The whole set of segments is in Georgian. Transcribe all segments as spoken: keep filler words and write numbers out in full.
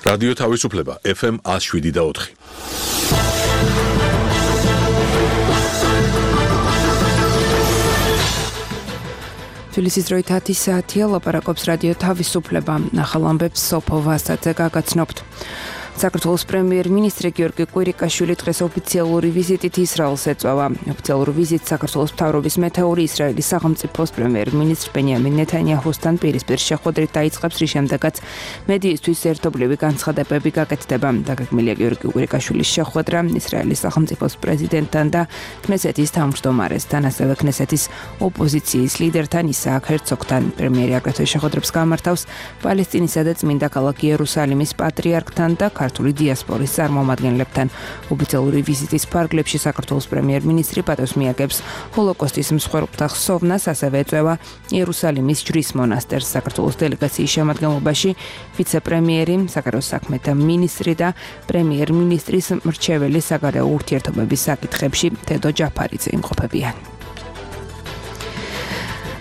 რადიო თავისუფლება ეფ ემ one oh seven და four. თბილისის დროით ათი საათია, ლაპარაკობს რადიო თავისუფლება. ახალ ამბებს სოფო ვასაძე გაგაცნობთ. საქართველოს პრემიერ-მინისტრი გიორგი კვირიკაშვილი დღეს ოფიციალური ვიზიტით ისრაელს ეწვევა. ოფიციალური ვიზიტი საქართველოს მთავრობის მეთაური ისრაელის სახელმწიფოს პრემიერ-მინისტრ ბენიამინ ნეთანიაჰუსთან პირისპირ შეხვედრით დაიწყებს, რის შემდეგაც მედიისთვის ერთობლივი განცხადებები გაკეთდება. დაგეგმილია გიორგი კვირიკაშვილის შეხვედრა ისრაელის სახელმწიფოს პრეზიდენტთან და ქნესეთის თავმჯდომარესთან, ასევე ქნესეთის ოპოზიციის ლიდერთან ისააკ ჰერცოგთან. პრემიერი აგრეთვე შეხვედრებს გამართავს პალესტინისა და წმინდა ქალაქ იერუსალიმის პატრიარქთან და ქართული დიასპორის წარმომადგენლებთან. ოფიციალური ვიზიტის ფარგლებში საქართველოს პრემიერ-მინისტრი პატევს მიაგებს ჰოლოკოსტის მსხვერპლთა ხსოვნას, ასევე ეწვევა იერუსალიმის ჯვრის მონასტერს. საქართველოს დელეგაციის შემადგენლობაში ვიცე-პრემიერი, საგარეო საქმეთა მინისტრი და პრემიერ-მინისტრის მრჩეველი საგარეო ურთიერთობების საკითხებში თედო ჯაფარიძე იმყოფებიან.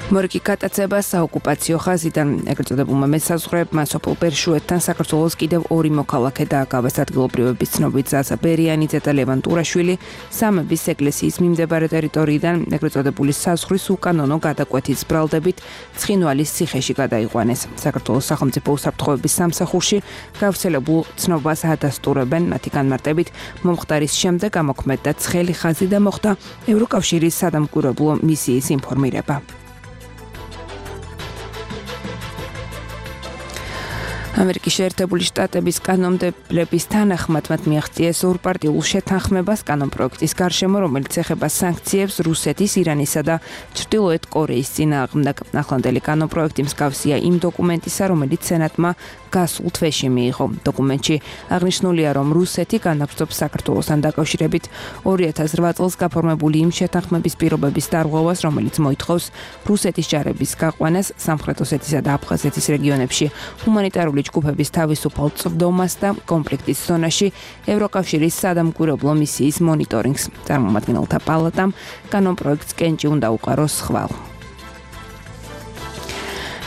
მორიგი გატაცება საოკუპაციო ხაზიდან. ეგრეთ წოდებულმა მესაზღვრეებმა სოფელ ბერშუეთთან საქართველოს კიდევ ორი მოქალაქე დააკავეს. ადგილობრივების ცნობით ზაზა ბერიანიძე და ლევან ტურაშვილი სამების ეკლესიის მიმდებარე ტერიტორიიდან ეგრეთ წოდებული საზღვრის უკანონო გადაკვეთის ბრალდებით ცხინვალის ციხეში გადაიყვანეს. საქართველოს სახელმწიფო უსაფრთხოების სამსახურში გავრცელებულ ცნობას ადასტურებენ. მათი განმარტებით მომხდარის შემდეგ ამოქმედდა ცხელი ხაზი და მოხდა ევროკავშირის სადამკვირვებლო მისიის ინფორმირება. ამერიკის შეერთებული შტატების კანონმდებლების თანახმად მათ მიაღწიეს ორპარტიულ შეთანხმებას კანონპროექტის გარშემო, რომელიც ეხება სანქციებს რუსეთის, ირანისა და ჩრდილოეთ კორეის წინააღმდეგ. ახლანდელი კანონპროექტი მსგავსია იმ დოკუმენტისა, რომელიც სენატმა გასულ თვეში მიიღო. დოკუმენტში აღნიშნულია, რომ რუსეთი განაგრძობს საქართველოსთან დაკავშირებით ორი ათას რვა წელს გაფორმებული იმ შეთანხმების პირობების დარღვევას, რომელიც მოითხოვს რუსეთის ჯარების გაყვანას სამხრეთ ოსეთისა და აფხაზეთის რეგიონებში, ჰუმანიტარული ჯგუფების თავისუფალ წვდომას და კონფლიქტის ზონაში ევროკავშირის სადამკვირვებლო მისიის მონიტორინგს. წარმომადგენელთა პალატამ კანონპროექტს კენჭი უნდა უყაროს ხვალ.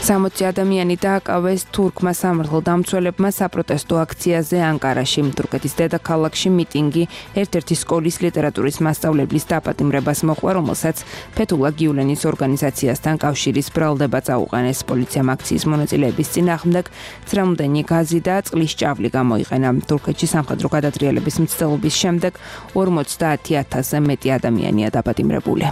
სამოცი ადამიანი დააკავეს თურქმა სამართალდამცველებმა საპროტესტო აქციაზე ანკარაში. თურქეთის დედაქალაქში მიტინგი ერთ-ერთი სკოლის ლიტერატურის მასწავლებლის დაპატიმრებას მოყვა, რომელსაც ფეთულა გიულენის ორგანიზაციასთან კავშირის ბრალდება წაუყენეს. პოლიციამ აქციის მონაწილეების წინააღმდეგ ცრემლდენი გაზი და წყლის ჭავლი გამოიყენა. თურქეთში სამხედრო გადატრიალების მცდელობის შემდეგ ორმოცდაათი ათასზე მეტი ადამიანია დაპატიმრებული.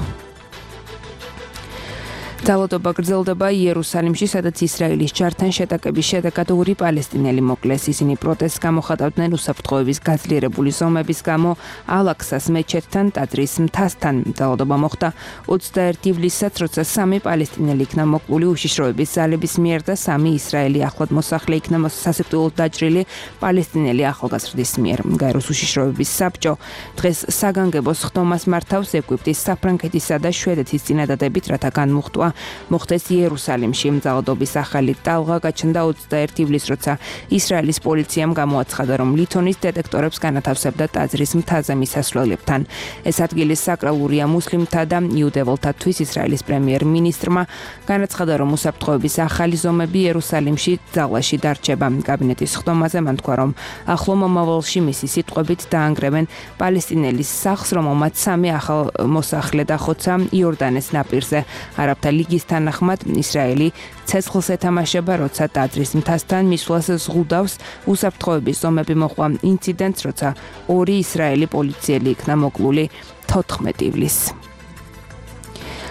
ძალადობა გრძელდება იერუსალიმში, სადაც ისრაელის ჯართან შეტაკების შედეგად ორი პალესტინელი მოკლეს. ისინი პროტესტს გამოხატავდნენ უსაფრთხოების გაძლიერებული ზომების გამო ალაქსას მეჩეთთან, ტაძრის მთასთან. ძალადობა მოხდა ოცდაერთი ივლისსაც, როცა სამი პალესტინელი იქნა მოკლული უშიშროების ძალების მიერ და სამი ისრაელი ახლად მოსახლე იქნა სასიკვდილოდ დაჭრილი პალესტინელი ახალგაზრდის მიერ. გაეროს უშიშროების საბჭო დღეს საგანგებოს ხდომას მართავს ეგვიპტის, საფრანგეთისა და შვედეთის წინადადებით, რათა განმუხტვა მოხდეს იერუსალიმში. ძალადობის ახალი ტალღა გაჩნდა ოცდაერთი ივლისს, როცა ისრაელის პოლიციამ გამოაცხადა, რომ ლითონის დეტექტორებს განათავსებდა ტაძრის მთაზე მისასვლელებთან. ეს ადგილი საკრალურია მუსლიმთა და იუდეველთათვის. ისრაელის პრემიერ-მინისტრმა განაცხადა, რომ უსაფრთხოების ახალი ზომები იერუსალიმში ძალაში დარჩება. კაბინეტის ხდომაზე მან თქვა, რომ ახლო მომავალში მისი სიტყვებით დაანგრევენ პალესტინელის სახლს, რომელმაც სამი ახალ მოსახლე დახოცა იორდანეს ნაპირზე. არაბთა ლიგის თანახმად ისრაელი ცეცხლს ეთამაშება, როცა ტაძრის მთასთან მისვლას ზღუდავს. უსაფრთხოების ზომები მოყვა ინციდენტს, როცა ორი ისრაელი პოლიციელი იქნა მოკლული თოთხმეტი ივლისს.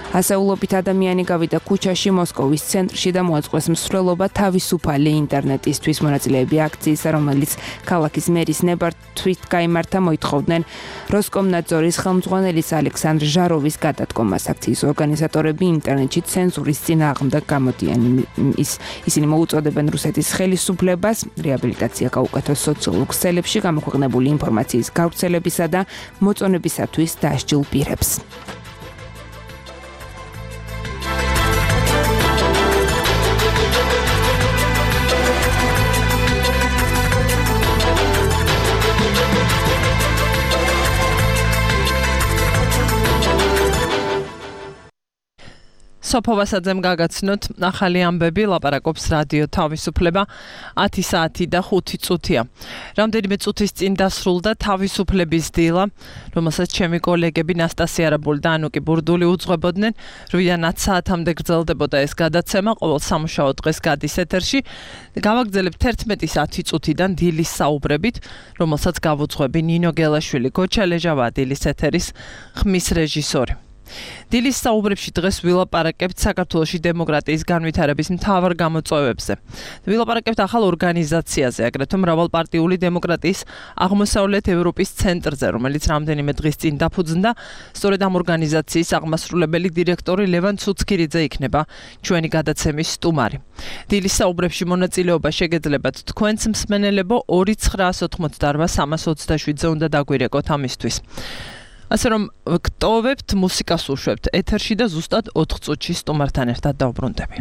ასეულობით ადამიანი გავიდა ქუჩაში მოსკოვის ცენტრში და მოაწყვეს მსვლელობა თავისუფალი ინტერნეტისთვის. მონაწილეები აქციის, რომელიც ქალაქის მერის ნებართვით გაიმართა, მოითხოვდნენ როსკომნadzores ხელმძღვანელის ალექსანდრ ჟაროვის გადადგომას. აქციის ორგანიზატორები ინტერნეტში ცენზურის წინააღმდეგ გამოდიან. ის ისინი მოუწოდებენ რუსეთის ხელისუფლებას რეაბილიტაცია გაუკეთოს სოციალურ ქსელებში გამოქვეყნებული ინფორმაციის გავრცელებისა და მოწონებისათვის დასჯილ პირებს. სოფო ვასაძემ გაგაცნოთ ახალი ამბები, ლაპარაკობს რადიო თავისუფლება ათი საათი და ხუთი წუთია. რამდენიმე წუთის წინ დასრულდა თავისუფლების დილა, რომელსაც ჩემი კოლეგები ნასტასია არაბული და ანუკი ბურდული უძღვებოდნენ. რვიდან ათ საათამდე გრძელდებოდა ეს გადაცემა, ყოველ სამუშაო დღეს გადის ეთერში. გავაგრძელებთ ერთმეტის ათი წუთიდან დილის საუბრებით, რომელსაც გავუძღვები ნინო გელაშვილი, გოჩა ლეჟავა დილის ეთერის ხმის რეჟისორი. დილის საუბრებში დღეს ვილაპარაკებთ საქართველოში დემოკრატიის განვითარების მთავარ გამოწვევებზე. ვილაპარაკებთ ახალ ორგანიზაციაზე, აგრეთვე მრავალპარტიული დემოკრატიის აღმოსავლეთ ევროპის ცენტრზე, რომელიც რამდენიმე დღის წინ დაფუძნდა. სწორედ ამ ორგანიზაციის აღმასრულებელი დირექტორი ლევან ცუცქირიძე იქნება ჩვენი გადაცემის სტუმარი. დილის საუბრებში მონაწილეობა შეგეძლებათ თქვენს მსმენელებო ორი ცხრა ოთხმოცდაარბა სამას ოცდაშვიდზე უნდა დაგვირეკოთ ამისთვის. ასე რომ გტოვებთ, მუსიკას უშვებთ ეთერში და ზუსტად ოთხ წუთში სტუმართან ერთად დავბრუნდები.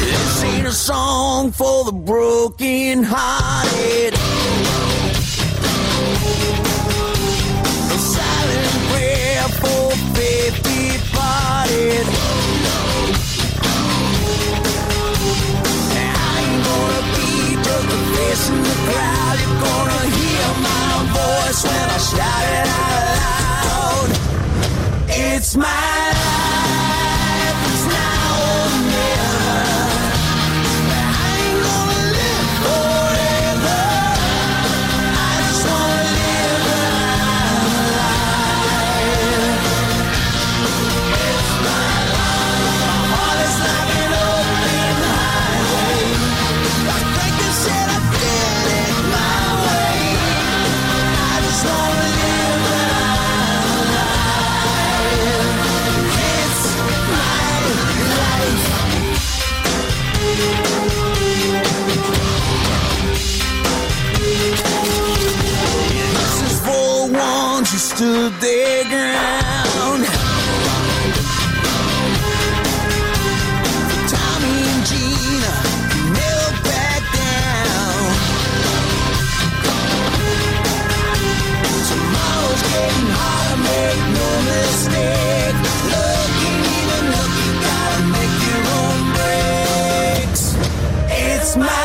This ain't a song for the broken hearted. For faith departed, I ain't gonna be just a face in the crowd. You're gonna hear my voice when I shout it out loud. It's my life, it's now or never. I ain't gonna live forever. I just wanna live who stood their ground. Tommy and Gina never back down. Tomorrow's getting harder, make no mistake. Lucky, even lucky, gotta make your own breaks. It's my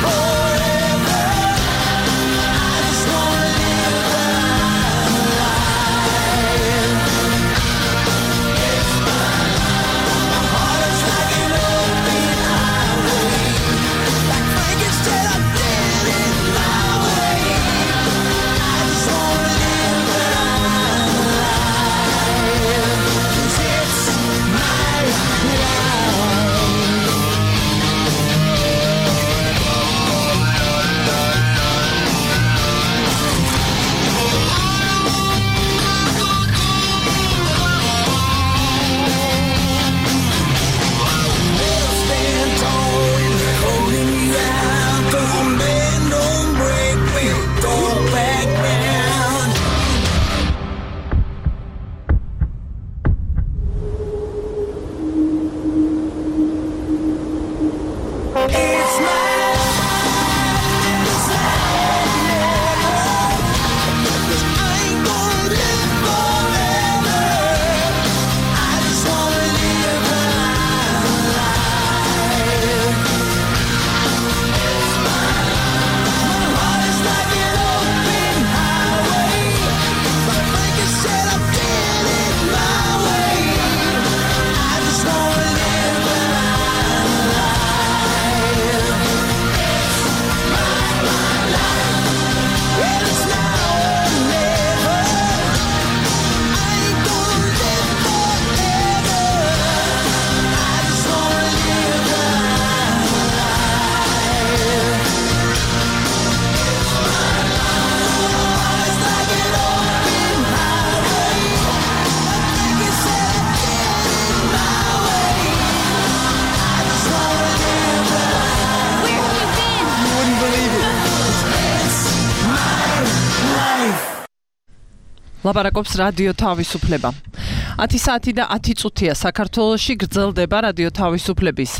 forever. ლაპარაკობს რადიო თავისუფლება. ათი საათი და ათი წუთია საქართველოში გრძელდება რადიო თავისუფლების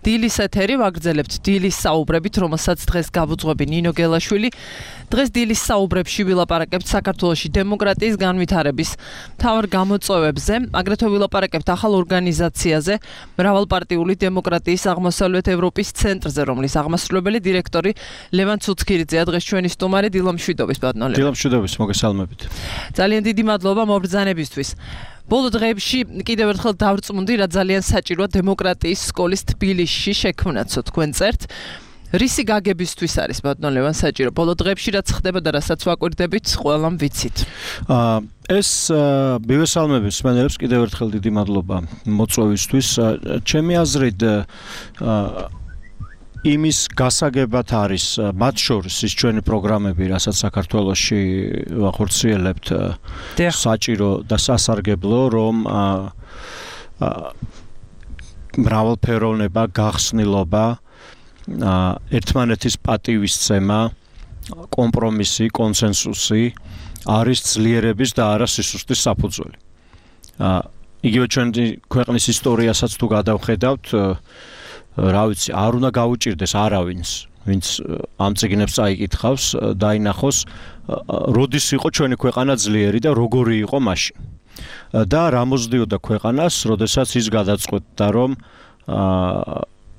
დილის ეთერი. ვაგრძელებთ დილის საუბრებით, რომელსაც დღეს გავუძღვები ნინო გელაშვილი. დღეს დილის საუბრებში ვილაპარაკებთ საქართველოში დემოკრატიის განვითარების მთავარ გამოწვევებზე, აგრეთვე ვილაპარაკებთ ახალ ორგანიზაციაზე, მრავალპარტიული დემოკრატიის აღმოსავლეთ ევროპის ცენტრზე, რომლის აღმასრულებელი დირექტორი ლევან ცუცქირიძეა. დღეს ჩვენი სტუმარი დილა მშვიდობის ბატონო. დილა მშვიდობის, მოგესალმებით. ძალიან დიდი მადლობა მობრძანებისთვის. ბოლო დღეებში კიდევ ერთხელ დავრწმუნდი, რა ძალიან საჭიროა დემოკრატიის სკოლის თბილისში შექმნაცო თქვენ წერთ. რისი გაგებისთვის არის ბატონო ლევან საჭირო? ბოლო დღეებში რაც ხდება და რასაც ვაკვირდებით, ყველამ ვიცით. აა ეს მივესალმები მსმენელებს კიდევ ერთხელ დიდი მადლობა მოწვევისთვის. ჩემი აზრით აა იმის გასაგებად არის მათ შორის ის ჩვენი პროგრამები, რასაც საქართველოში ვახორციელებთ, საჭირო და სასარგებლო, რომ მრავალფეროვნება, გახსნილობა, ერთმანეთის პატივისცემა, კომპრომისი, კონსენსუსი არის ძლიერების და არა სისუსტის საფუძველი. იგივე ჩვენი ქვეყნის ისტორიასაც თუ გადავხედავთ, რა ვიცი, არ უნდა გაუჭირდეს არავინს, ვინც ამ წიგნებს წაიკითხავს, დაინახოს, როდის იყო ჩვენი ქვეყანა ძლიერი და როგორი იყო მაშინ. და რა მოსდიოდა ქვეყანას, როდესაც ის გადაწყვეტდა, რომ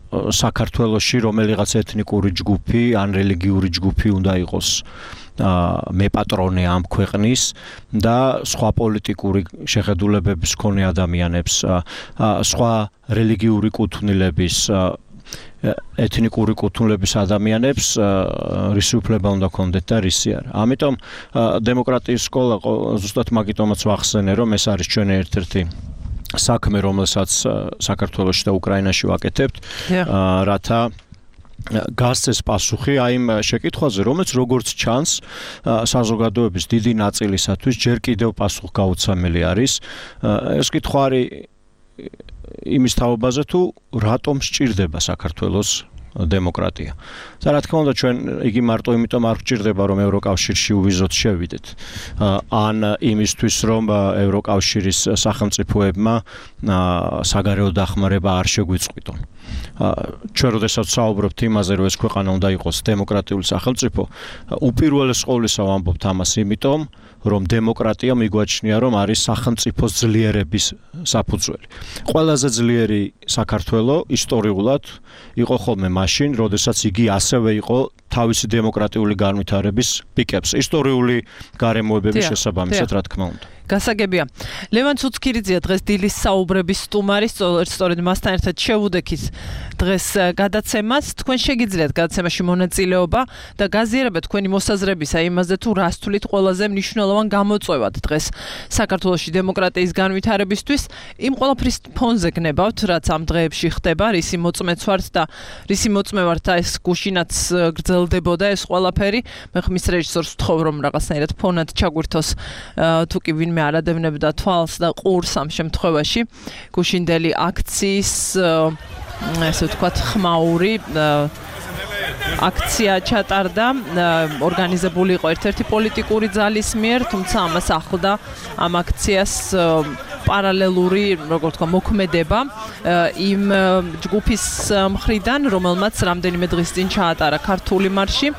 საქართველოში რომელიღაც ეთნიკური ჯგუფი ან რელიგიური ჯგუფი უნდა იყოს მეპატრონე ამ ქვეყნის და სხვა პოლიტიკური შეხედულებების მქონე ადამიანებს, სხვა რელიგიური კუთვნილების, ეთნიკური კუთვნილების ადამიანებს რისი უფლება უნდა ქონდეთ და რისი არა. ამიტომ დემოკრატიის სკოლა ზუსტად მაგიტომაც ვახსენე, რომ ეს არის ჩვენი ერთ-ერთი საქმე, რომელსაც საქართველოში და უკრაინაში ვაკეთებთ, რათა გასცეს პასუხი აი იმ შეკითხვაზე, რომელიც როგორც ჩანს, საზოგადოების დიდი ნაწილისათვის ჯერ კიდევ პასუხგაუცემელი არის. ეს კითხვა არის იმის თაობაზე, თუ რატომ სჭირდება საქართველოს დემოკრატია. და რა თქმა უნდა, ჩვენ იგი მარტო იმიტომ არ გვჭირდება, რომ ევროკავშირში უვიზოთ შევიდეთ, ან იმისთვის, რომ ევროკავშირის სახელმწიფოებმა საგარეო დახმარება არ შეგვიწყვიტონ. ჩვენ როდესაც საუბრობთ იმაზე, რომ ეს ქვეყანა უნდა იყოს დემოკრატიული სახელმწიფო, უპირველეს ყოვლისა ვამბობთ ამას იმიტომ, რომ დემოკრატია მიგვაჩნია, რომ არის სახელმწიფოს ძლიერების საფუძველი. ყველაზე ძლიერი საქართველო ისტორიულად იყო ხოლმე მაშინ, როდესაც იგი ასევე იყო თავისი დემოკრატიული განვითარების პიკებს, ისტორიული გარემოებების შესაბამისად, რა თქმა უნდა. გასაგებია. ლევან ცუცქირიძეა დღეს დილის საუბრების სტუმარი, სწორედ მასთან ერთად შევუდექით დღეს გადაცემას. თქვენ შეგიძლიათ გადაცემაში მონაწილეობა და გაზიარებათ თქვენი მოსაზრებისა იმაზე, თუ რას თვლით ყველაზე მნიშვნელოვან გამოწვევად დღეს საქართველოში დემოკრატიის განვითარებისთვის. იმ ყველაფრის ფონზე გნებავთ, რაც ამ დღეებში ხდება, რისი მოწმეც ვართ და რისი მოწმე ვართ და ეს გუშინაც გრძელდებოდა ეს ყველაფერი. მე ხმის რეჟისორს ვთხოვ, რომ რაღაცნაირად ფონად ჩაგვირთოს, თუ კი ვინმე არადევნებდა თვალს და ყურს ამ შემთხვევაში. გუშინდელი აქციის, ესე ვთქვათ, ხმაური აქცია ჩატარდა, ორგანიზებული იყო ერთ-ერთი პოლიტიკური ძალის მიერ, თუმცა ამას ახლდა ამ აქციას პარალელური, როგორ ვთქვა, მოქმედება იმ ჯგუფის მხრიდან, რომელმაც რამდენიმე დღის წინ ჩაატარა ქართული მარში.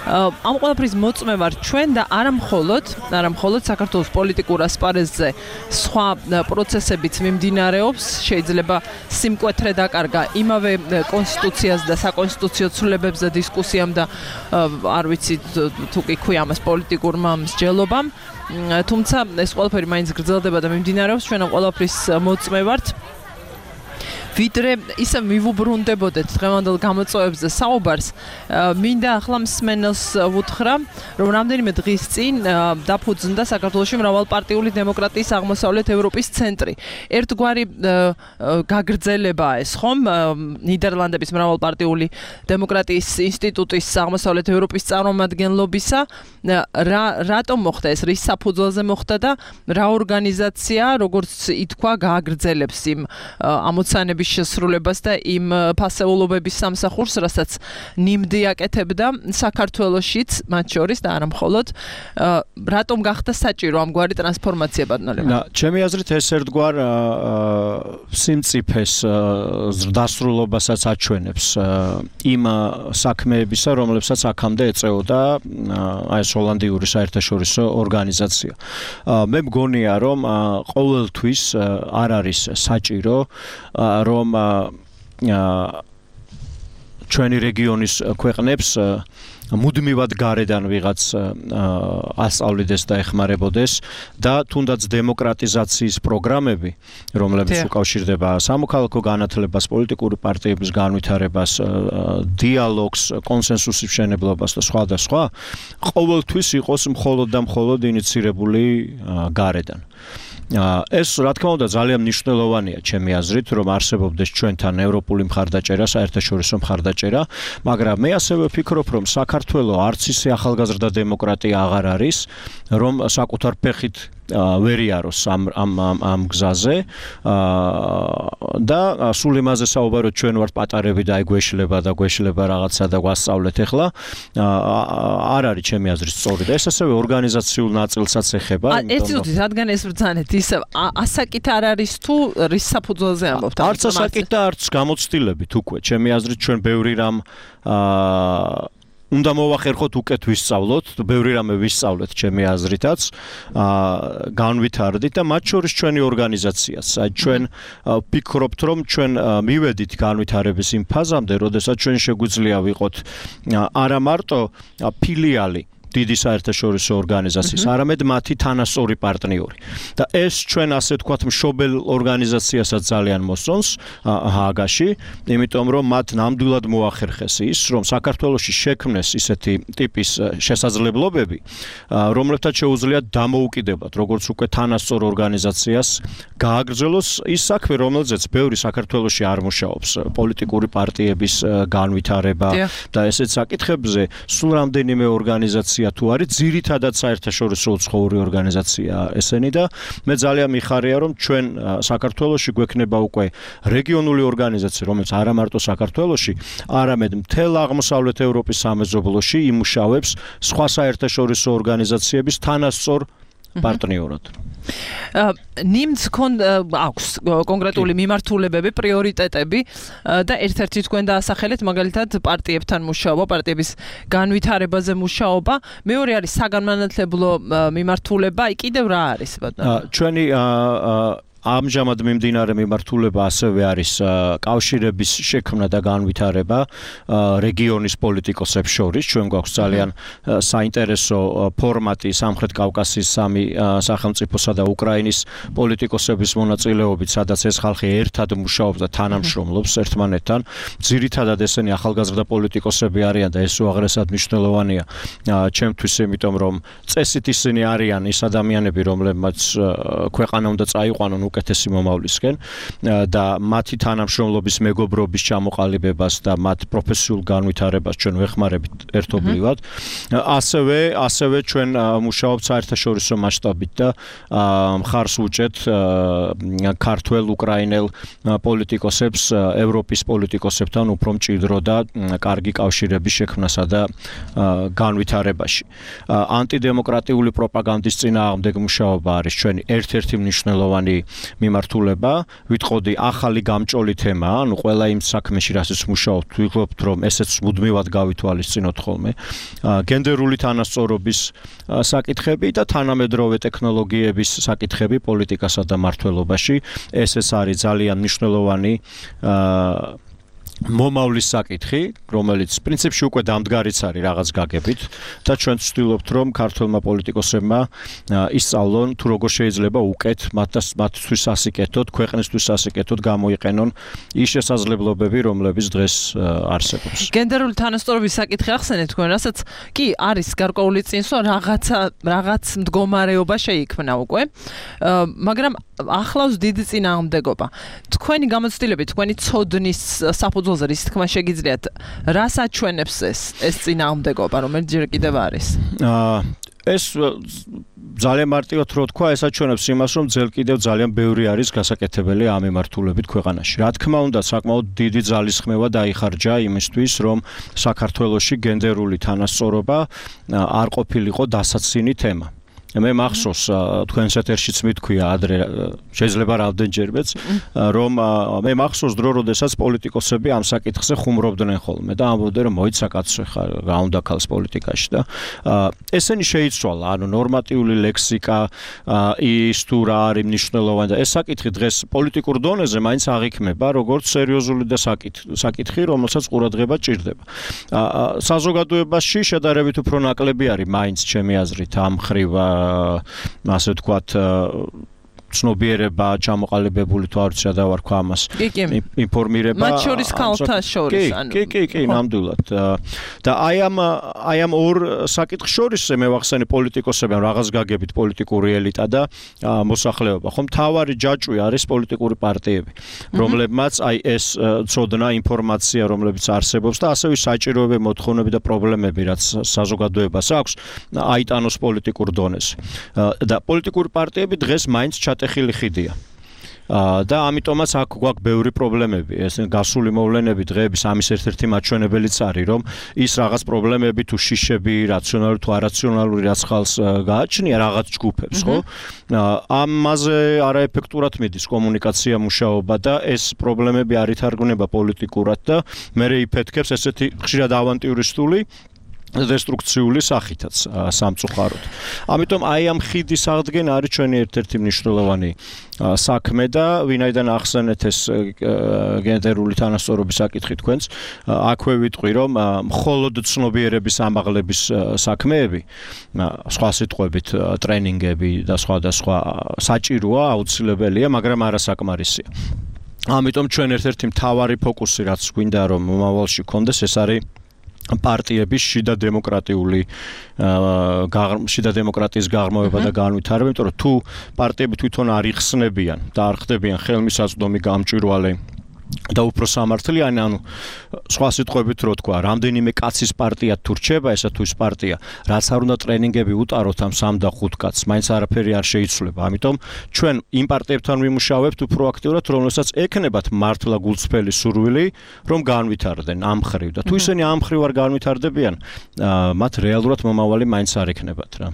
ამ ყველაფრის მოწმე ვარ ჩვენ და არა მხოლოდ, არა მხოლოდ საქართველოს პოლიტიკურ ასპარეზზე სხვა პროცესებიც მიმდინარეობს, შეიძლება სიმკვეთრე დაკარგა იმავე კონსტიტუციას და საკონსტიტუციო ცვლილებებზე დისკუსიამ და არ ვიცი თუ კი ქვია ამას პოლიტიკურმა მსჯელობამ, თუმცა ეს ყველაფერი მაინც გრძელდება და მიმდინარეობს, ჩვენ ამ ყველაფრის მოწმე ვართ. ვიდრე ისე მივუბრუნდებოდეთ დღევანდელ გამოწვევებზე საუბარს, მინდა ახლა მსმენელს ვუთხრა, რომ რამდენიმე დღის წინ დაფუძნდა საქართველოში მრავალპარტიული დემოკრატიის აღმოსავლეთ ევროპის ცენტრი. ერთგვარი გაგრძელებაა ეს, ხომ? ნიდერლანდების მრავალპარტიული დემოკრატიის ინსტიტუტის აღმოსავლეთ ევროპის წარმომადგენლობისა. რა რატომ მოხდა ეს? რის საფუძველზე მოხდა და რა ორგანიზაცია, როგორც ითქვა, გააგრძელებს იმ ამოცანების პერიოდის შესრულებას და იმ ფასეულობების სამსახურს, რასაც ნიმდი აკეთებდა საქართველოშიც, მათ შორის და არა მხოლოდ, რატომ გახდა საჭირო ამგვარი ტრანსფორმაცია ბატონო? ჩემი აზრით ეს ერთგვარ სიმწიფეს დასრულობასაც აჩვენებს იმ საქმეებისა, რომლებსაც აქამდე ეწეოდა აი ეს ჰოლანდიური საერთაშორისო ორგანიზაცია. მე მგონია, რომ ყოველთვის არ არის საჭირო, რომ ჩვენი რეგიონის ქვეყნებს მუდმივად გარედან ვიღაც ასწავლიდეს და ეხმარებოდეს და თუნდაც დემოკრატიზაციის პროგრამები, რომლებიც უკავშირდება სამოქალაქო განათლებას, პოლიტიკური პარტიების განვითარებას, დიალოგს, კონსენსუსის მშენებლობას და სხვა და სხვა, ყოველთვის იყოს მხოლოდ და მხოლოდ ინიცირებული გარედან. ეს რა თქმა უნდა ძალიან მნიშვნელოვანია ჩემი აზრით, რომ არსებობდეს ჩვენთან ევროპული მხარდაჭერა, საერთაშორისო მხარდაჭერა, მაგრამ მე ასევე ვფიქრობ, რომ საქართველოს არც ისე ახალგაზრდა დემოკრატია აღარ არის, რომ საკუთარ ფეხით ვერ იაროს ამ ამ ამ გზაზე და სულ იმაზე საუბაროთ, ჩვენ ვართ პატარები და აი გვეშლება და გვეშლება რაღაცა და გვასწავლეთ ახლა, არ არის ჩემი აზრით სწორი და ეს ასევე ორგანიზაციულ ნაწილსაც ეხება. ეს თვითონ რადგან ეს ბრძანეთ ისევ ასაკით არ არის თუ რის საფუძველზე ამბობთ? არც ასაკით და არც გამოცდილებით უკვე. ჩემი აზრით ჩვენ ბევრი რამ უნდა მოვახერხოთ უკეთ ვისწავლოთ, ბევრი რამე ვისწავლეთ ჩემი აზრითაც, განვითარდით და მათ შორის ჩვენი ორგანიზაციაც. აი ჩვენ ვფიქრობთ, რომ ჩვენ მივედით განვითარების იმ ფაზამდე, როდესაც ჩვენ შეგვიძლია ვიყოთ არა მარტო ფილიალი დიდი საერთაშორისო ორგანიზაციის, არამედ მათი თანასწორი პარტნიორი. და ეს ჩვენ ასე ვთქვათ მშობელ ორგანიზაციასაც ძალიან მოსწონს ჰააგაში, იმიტომ რომ მათ ნამდვილად მოახერხეს ის, რომ საქართველოში შექმნეს ისეთი ტიპის შესაძლებლობები, რომლებთან შეუძლიათ დამოუკიდებლად, როგორც უკვე თანასწორ ორგანიზაციას გააგრძელოს ის საქმე, რომელზეც ბევრი საქართველოში არ მუშაობს, პოლიტიკური პარტიების განვითარება და ესეთ საკითხებზე სულ რამდენიმე ორგანიზაცია თუ არის ძირითადად საერთაშორისო უცხოური ორგანიზაცია ესენი და მე ძალიან მიხარია, რომ ჩვენ საქართველოში გვექნება უკვე რეგიონული ორგანიზაცია, რომელიც არა მარტო საქართველოში, არამედ მთელ აღმოსავლეთ ევროპის სამეზობლოში იმუშავებს სხვა საერთაშორისო ორგანიზაციების თანასწორ პარტნიორად. ნიმდს აქვს კონკრეტული მიმართულებები, პრიორიტეტები და ერთ-ერთი თქვენ დაასახელეთ მაგალითად პარტიებთან მუშაობა, პარტიების განვითარებაზე მუშაობა. მეორე არის საგანმანათლებლო მიმართულება, აი კიდევ რა არის ბატონო? ჩვენი ამჟამად მიმდინარე მიმართულება ასევე არის კავშირების შექმნა და განვითარება რეგიონის პოლიტიკოსებს შორის. ჩვენ გვაქვს ძალიან საინტერესო ფორმატი სამხრეთ კავკასიის სამი სახელმწიფოსა და უკრაინის პოლიტიკოსების მონაწილეობით, სადაც ეს ხალხი ერთად მუშაობს და თანამშრომლობს ერთმანეთთან. ძირითადად ესენი ახალგაზრდა პოლიტიკოსები არიან და ეს უაღრესად მნიშვნელოვანია ჩემთვის, იმიტომ რომ წესით ისინი არიან ის ადამიანები, რომლებმაც ქვეყანა უნდა წაიყვანონ უკეთესი მომავლისკენ და მათი თანამშრომლობის მეგობრობის ჩამოყალიბებას და მათ პროფესიულ განვითარებას ჩვენ ვეხმარებით ერთობლივად. ასევე ასევე ჩვენ მუშაობთ საერთაშორისო მასშტაბით და მხარს ვუჭერთ ქართველ უკრაინელ პოლიტიკოსებს ევროპის პოლიტიკოსებთან უფრო მჭიდრო და კარგი კავშირების შექმნასა და განვითარებაში. ანტიდემოკრატიული პროპაგანდის წინააღმდეგ მუშაობა არის ჩვენი ერთ-ერთი მნიშვნელოვანი მიმართულება. ვიტყოდი ახალი გამჭოლი თემა, ანუ ყველა იმ საქმეში, რასაც მუშაობთ, ვიღებთ, რომ ესეც მუდმივად გავითვალისწინოთ ხოლმე. გენდერული თანასწორობის საკითხები და თანამედროვე ტექნოლოგიების საკითხები პოლიტიკასა და მმართველობაში. ეს ეს არის ძალიან მნიშვნელოვანი მომავლის საკითხი, რომელიც პრინციპში უკვე დამდგარიც არის რაღაც გაგებით და ჩვენ ვცდილობთ, რომ ქართველმა პოლიტიკოსებმა ისწავლონ თუ როგორ შეიძლება უკეთ მათთვის ასიკეთოთ, ქვეყნისთვის ასიკეთოთ, გამოიყენონ ის შესაძლებლობები, რომლებიც დღეს არსებობს. გენდერული თანასწორობის საკითხი ახსენეთ თქვენ, რასაც კი არის გარკვეული წინსვლა, რაღაცა რაღაც მდგომარეობა შეიქმნა უკვე, მაგრამ ახლავს დიდი წინააღმდეგობა. თქვენი გამოცდილებით, თქვენი ცოდნის საფუძველზე რის თქმა შეგიძლიათ, რას აჩვენებს ეს ეს წინააღმდეგობა, რომელიც ჯერ კიდევ არის? ეს ძალიან მარტივად რო თქვა, ეს აჩვენებს იმას, რომ ძელ კიდევ ძალიან ბევრი არის გასაკეთებელი ამ მიმართულებით ქვეყანაში. Რა თქმა უნდა, საკმაოდ დიდი ძალისხმევა დაიხარჯა იმისთვის, რომ საქართველოში გენდერული თანასწორობა არ ყოფილიყო დასაცინი თემა. მე მახსოვს თქვენს ეთერშიც მithქვია ადრე შეიძლება რამდენჯერმეც რომ მე მახსოვს დრო როდესაც პოლიტიკოსები ამ საკითხზე ხუმრობდნენ ხოლმე და ამბობდნენ რომ მოიცა კაცო ხა რა უნდა ქალს პოლიტიკაში და ესენი შეიცვალა ანუ ნორმატიული ლექსიკა ის თუ რა არის მნიშვნელოვანი და ეს საკითხი დღეს პოლიტიკურ დონეზე მაინც აღიქმება როგორც სერიოზული და საკითხი რომელსაც ყურადღება ჭირდება საზოგადოებაში შედარებით უფრო ნაკლები არის მაინც ჩემი აზრით ამ ხრივ ასე ვთქვათ ცნობიერება ჩამოყალიბებული თუ არ ვიცი რა დავარქვა ამას ინფორმირება მათ შორის ქალთა შორის ანუ კი კი კი ნამდვილად და აი ამ აი ამ ორ საკითხ შორის მე ვახსენე პოლიტიკოსებთან რაღაც გაგებით პოლიტიკური ელიტა და მოსახლეობა ხომ თავარი ჯაჭვი არის პოლიტიკური პარტიები რომლებმაც აი ეს ცოდნა ინფორმაცია რომლებიც არსებობს და ასევე საჭიროებები მოთხოვნები და პრობლემები რაც საზოგადოებას აქვს აიტანოს პოლიტიკურ დონეზე და პოლიტიკური პარტიები დღეს მაინც ტეხილი ხიდია და ამიტომაც აქ გვაქვს ბევრი პრობლემები ეს გასული მოვლენები დღეების ამის ერთ-ერთი მაჩვენებელიც არის რომ ის რაღაც პრობლემები თუ შიშები რაციონალური თუ არაციონალური რაც ხალხს გააჩნია რაღაც ჯგუფებს ხო ამაზე არაეფექტურად მიდის კომუნიკაცია მუშაობა და ეს პრობლემები არ ითარგმნება პოლიტიკურად და მე იფეთქებს ესეთი ხშირად ავანტიურისტული დესტრუქციული სახითაც სამწუხაროდ. ამიტომ აი ამ ხიდის აღდგენა არის ჩვენი ერთ-ერთი მნიშვნელოვანი საქმე და ვინაიდან ახსენეთ ეს გენდერული თანასწორობის საკითხი თქვენს, აქვე ვიტყვი რომ მხოლოდ ცნობიერების ამაღლების საქმეები, სხვა სიტყვებით ტრენინგები და სხვა და სხვა საჭიროა, აუცილებელია, მაგრამ არასაკმარისია. ამიტომ ჩვენ ერთ-ერთი მთავარი ფოკუსი რაც გვინდა რომ მომავალში გქონდეს ეს არის პარტიების შიდა დემოკრატიული შიდა დემოკრატიის გაღრმავება და განვითარება, იმიტომ რომ თუ პარტიები თვითონ არ იხსნებიან და არ ხდებიან ხელმისაწვდომი გამჭვირვალე და უფრო სამართლიანი, ანუ სხვა სიტყვებით რო თქვა, რამდენიმე კაცის პარტია თუ რჩება, ესა თუ ის პარტია, რაც არ უნდა ტრენინგები უტაროთ ამ სამ და ხუთ კაცს, მაინც არაფერი არ შეიცვლება. ამიტომ ჩვენ იმ პარტიებთან ვიმუშავებთ უფრო აქტიურად, რომელსაც ექნებათ მართლა გულწრფელი სურვილი, რომ განვითარდნენ ამ ხრივ და თუ ისინი ამ ხრივ არ განვითარდებიან, მათ რეალურად მომავალი მაინც არ ექნებათ რა.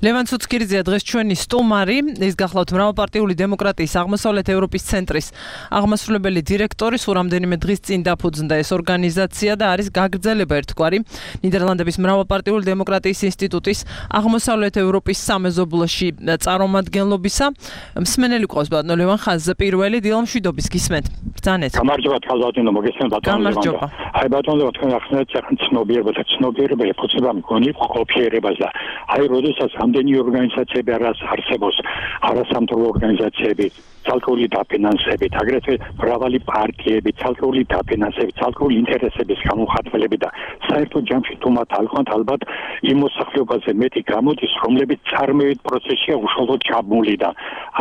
ლევან ცუცქირიძეა დღეს ჩვენი სტუმარი, ის გახლავთ მრავალპარტიული დემოკრატიის აღმოსავლეთ ევროპის ცენტრის აღმასრულებელი დირექტორი, სულ რამდენიმე დღის წინ დაფუძნდა ეს ორგანიზაცია და არის გაგრძელება ერთგვარი ნიდერლანდების მრავალპარტიული დემოკრატიის ინსტიტუტის აღმოსავლეთ ევროპის სამეზობლოში წარმომადგენლობისა. მსმენელი ყავს ბატონო ლევან ხაზზე პირველი დილამშვიდობის გისმენთ. ბრძანეთ. გამარჯობა ხალბატონო, მოგესალმებით ბატონო ლევან. აი ბატონო ლევან, თქვენ ახსნეთ ცნობიერება და ცნობიერება ეხება მგონი ყოფიერებას და აი როდესაც ამდენი ორგანიზაციები არის არსებობს არასამთავრობო ორგანიზაციები ცალკეული დაფინანსებით, აგრეთვე მრავალი პარტიები, ცალკეული დაფინანსებით, ცალკეული ინტერესების გამომხატველები და საერთო ჯამში თუ მათ ალყავთ ალბათ იმ მოსახლეობაზე მეტი გამოდის, რომლებიც წარმოებით პროცესშია უშუალოდ ჩაბმული და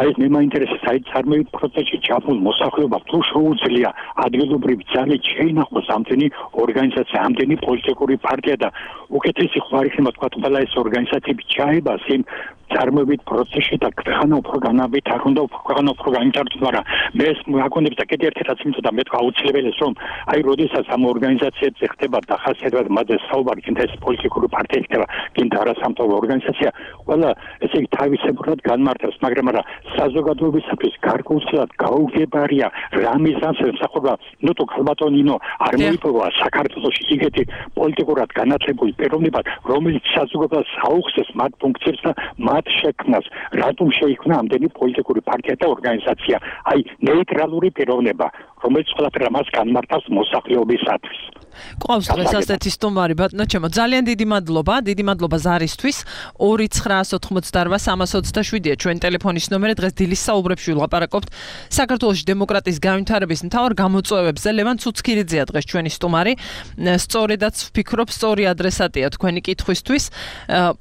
აი მე მაინტერესებს აი წარმოებით პროცესში ჩაბმულ მოსახლეობას თუ შეუძლია ადგილობრივი ძალით შეინახოს ამდენი ორგანიზაცია, ამდენი პოლიტიკური პარტია და უკეთესი ხوار იქნება თქვა ყველა ეს ორგანიზაციები ჩაებას იმ წარმოებით პროცესში და ქვეყანა უფრო განაბით არ უნდა ქვეყანა უფრო განვითარდეს, მაგრამ მე ეს მოგონებს და კიდევ ერთი რაც მინდოდა მე თქვა აუცილებელია რომ აი როდესაც ამ ორგანიზაციებზე ხდება დახასიათება მათზე საუბარი, კიდე ეს პოლიტიკური პარტია ხდება, კიდე არასამთავრობო ორგანიზაცია, ყველა ესე იგი თავისებურად განმარტავს, მაგრამ არა საზოგადოებისათვის გარკვეულწილად გაუგებარია რა მიზანს ემსახურება, ნუ თუ ხალბატონინო არ მოიპოვა საქართველოში იგეთი პოლიტიკურად განათლებული პიროვნება, რომელიც საზოგადოებას აუხსნეს მათ ფუნქციებს და მათ შექმნას, რატომ შეიქმნა ამდენი პოლიტიკური პარტია და ორგანიზაცია, აი ნეიტრალური პიროვნება, რომელიც ყველაფერს მას განმარტავს მოსახლეობისათვის. ყავს დღეს ასეთი სტუმარი ბატონო ჩემო, ძალიან დიდი მადლობა, დიდი მადლობა ზარისთვის. ორი ცხრაას ოთხმოცდაოთხ სამას ოცდაშვიდია ჩვენი ტელეფონის ნომერი. დღეს დილის საუბრებში ვილაპარაკობთ საქართველოს დემოკრატიის განვითარების მთავარ გამოწვევებზე. ლევან ცუცქირიძეა დღეს ჩვენი სტუმარი. სწორედაც ვფიქრობ, სწორი ადრესატია თქვენი კითხვისთვის.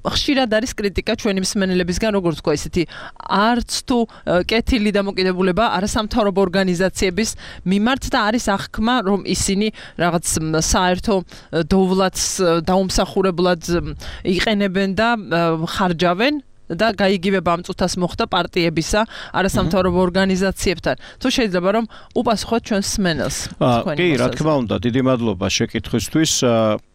ხშირად არის კრიტიკა ჩვენი მსმენელებისგან, როგორც თქვა ისეთი არც თუ კეთილი დამოკიდებულება არასამთავრობო ორგანიზაციების მიმართ და არის აღქმა, რომ ისინი რაღაც საერთო დოვლათს დაუმსახურებლად იყენებენ და ხარჯავენ და გაიგივება ამ წუთას მოხდა პარტიებისა, არასამთავრობო ორგანიზაციებთან. თუ შეიძლება რომ უპასუხოთ ჩვენს მსმენელს. კი, რა თქმა უნდა, დიდი მადლობა შეკითხვისთვის.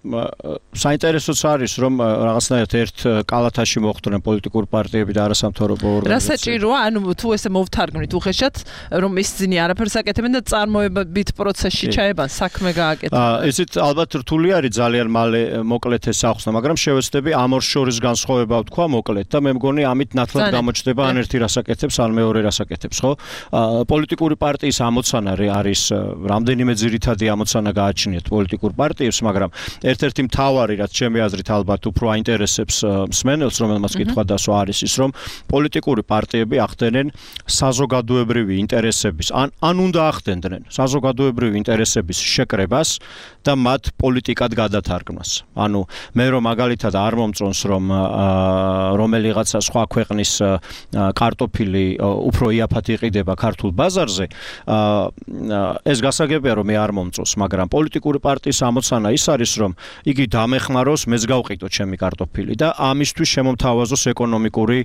საინტერესოც არის რომ რაღაცნაირად ერთ კალათაში მოხვდნენ პოლიტიკური პარტიები და არასამთავრობო ორგანიზაციები. რა საჭიროა, ანუ თუ ესე მოვთარგმნით უხეშად, რომ ისინი არაფერს აკეთებენ და წარმოებით პროცესში ჩაებან, საქმე გააკეთებენ. ესეთ ალბათ რთული არის ძალიან მალე მოკლედ ეს ახსნა, მაგრამ შევეცდები ამ ორ შორის განსხვავება ვთქვა მოკლედ და მე მგონი ამით ნათლად გამოჩნდება ან ერთი რას აკეთებს, ან მეორე რას აკეთებს, ხო? პოლიტიკური პარტიის ამოცანა არის რამდენიმე ძირითადი ამოცანა გააჩნიათ პოლიტიკურ პარტიებს, მაგრამ ერთ-ერთი მთავარი, რაც ჩემი აზრით ალბათ უფრო აინტერესებს მსმენელს, რომელმაც კითხვა დასვა არის ის, რომ პოლიტიკური პარტიები ახდენენ საზოგადოებრივი ინტერესების, ან ან უნდა ახდენდნენ საზოგადოებრივი ინტერესების შეკრებას და მათ პოლიტიკად გადათარგმნას. ანუ მე რომ მაგალითად არ მომწონს რომ რომელიღაცა სხვა ქვეყნის კარტოფილი უფრო იაფად იყიდება ქართულ ბაზარზე, ეს გასაგებია რომ მე არ მომწონს, მაგრამ პოლიტიკური პარტიის ამოცანა ის არის რომ იგი დამეხმაროს, მეც გავყიდო ჩემი კარტოფილი და ამისთვის შემომთავაზოს ეკონომიკური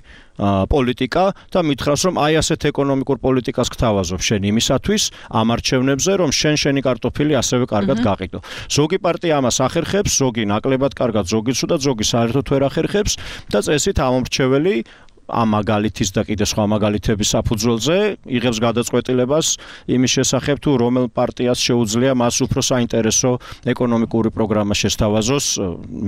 პოლიტიკა და მითხრას რომ აი ასეთ ეკონომიკურ პოლიტიკას გთავაზობ შენ იმისათვის ამ არჩევნებზე რომ შენ შენი კარტოფილი ასევე კარგად გაყიდო. ზოგი პარტია ამას ახერხებს, ზოგი ნაკლებად კარგად, ზოგი ცუდად, ზოგი საერთოდ ვერ ახერხებს და წესით ამომრჩეველი ამ მაგალითის და კიდე სხვა მაგალითების საფუძველზე იღებს გადაწყვეტილებას იმის შესახებ თუ რომელ პარტიას შეუძლია მას უფრო საინტერესო ეკონომიკური პროგრამა შესთავაზოს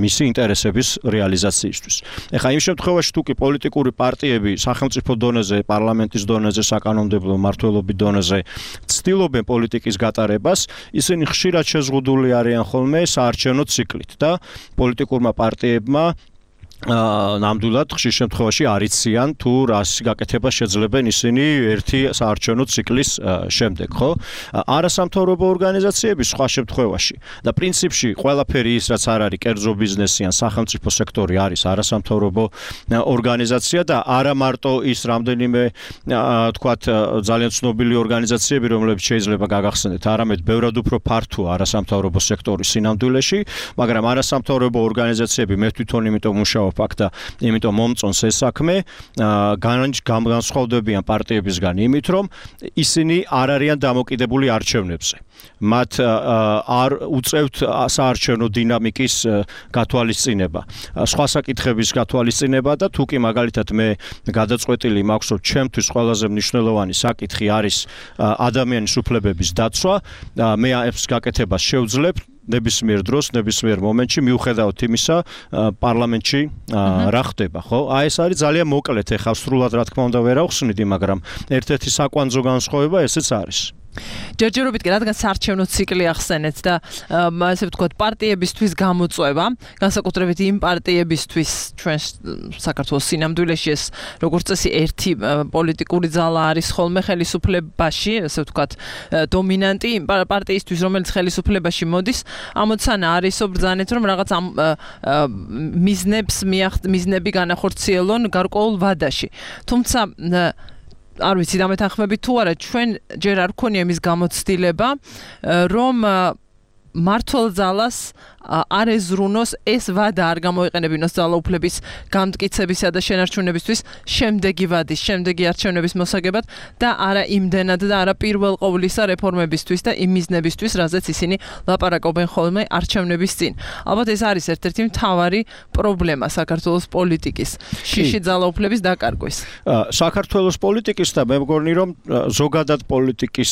მისი ინტერესების რეალიზაციისთვის. ეხლა იმ შემთხვევაში თუ კი პოლიტიკური პარტიები სახელმწიფო დონეზე, პარლამენტის დონეზე, საკანონმდებლო მმართველობის დონეზე ცდილობენ პოლიტიკის გატარებას, ისინი ხშირად შეზღუდული არიან ხოლმე საარჩევნო ციკლით და პოლიტიკურმა პარტიებმა ნამდვილად ხშირ შემთხვევაში არიციან თუ რას გაკეთება შეძლებენ ისინი ერთი საარჩევნო ციკლის შემდეგ, ხო? არასამთავრობო ორგანიზაციები სხვა შემთხვევაში და პრინციპში ყველაფერი ის რაც არ არის კერძო ბიზნესი ან სახელმწიფო სექტორი არის არასამთავრობო ორგანიზაცია და არა მარტო ის რამდენიმე თქვათ ძალიან ცნობილი ორგანიზაციები, რომლებიც შეიძლება გაგახსენდეთ, არამედ ბევრად უფრო ფართოა არასამთავრობო სექტორის სინამდვილეში, მაგრამ არასამთავრობო ორგანიზაციები მე თვითონ იმიტომ მუშაობ აქ და იმიტომ მომწონს ეს საქმე, განსხვავდებიან პარტიებისგან იმით, რომ ისინი არ არიან დამოკიდებული არჩევნებზე. მათ არ უწევთ საარჩევნო დინამიკის გათვალისწინება, სხვა საკითხების გათვალისწინება და თუ კი მაგალითად მე გადაწყვეტილი მაქვს, რომ ჩემთვის ყველაზე მნიშვნელოვანი საკითხი არის ადამიანის უფლებების დაცვა, მე ეს გაკეთებას შევძლებ ნებისმიერ დროს, ნებისმიერ მომენტში მიუხედავად იმისა, პარლამენტში რა ხდება, ხო? აი ეს არის ძალიან მოკლედ, ეხლა სრულად რა თქმა უნდა ვერ ავხსნიდი, მაგრამ ერთ-ერთი საკვანძო განსხვავება ესეც არის. ჯერჯერობით კი რადგან საარჩევნო ციკლი ახსენეთ და ასე ვთქვათ პარტიებისთვის გამოწვევა, განსაკუთრებით იმ პარტიებისთვის ჩვენ საქართველოს სინამდვილეში ეს როგორც წესი ერთი პოლიტიკური ძალა არის ხოლმე ხელისუფლებაში, ასე ვთქვათ დომინანტი იმ პარტიისთვის, რომელიც ხელისუფლებაში მოდის, ამოცანა არისო ბრძანეთ რომ რაღაც ამ მიზნებს მიზნები განახორციელონ გარკვეულ ვადაში. თუმცა არ ვიცი დამეთანხმებით თუ არა, ჩვენ ჯერ არ გქონია იმის გამოცდილება, რომ მართლ ძალას არ ეზრუნოს ეს ვადა არ გამოიყენებინოს ძალაუფლების გამტკიცებისა და შენარჩუნებისთვის შემდეგი ვადის, შემდეგი არჩევნების მოსაგებად და არა იმდენად და არა პირველ ყოვლისა რეფორმებისთვის და იმ მიზნებისთვის, რაზეც ისინი ლაპარაკობენ ხოლმე არჩევნების წინ. ალბათ ეს არის ერთ-ერთი მთავარი პრობლემა საქართველოს პოლიტიკის, შიში ძალაუფლების დაკარგვის. საქართველოს პოლიტიკის და მე მგონი რომ ზოგადად პოლიტიკის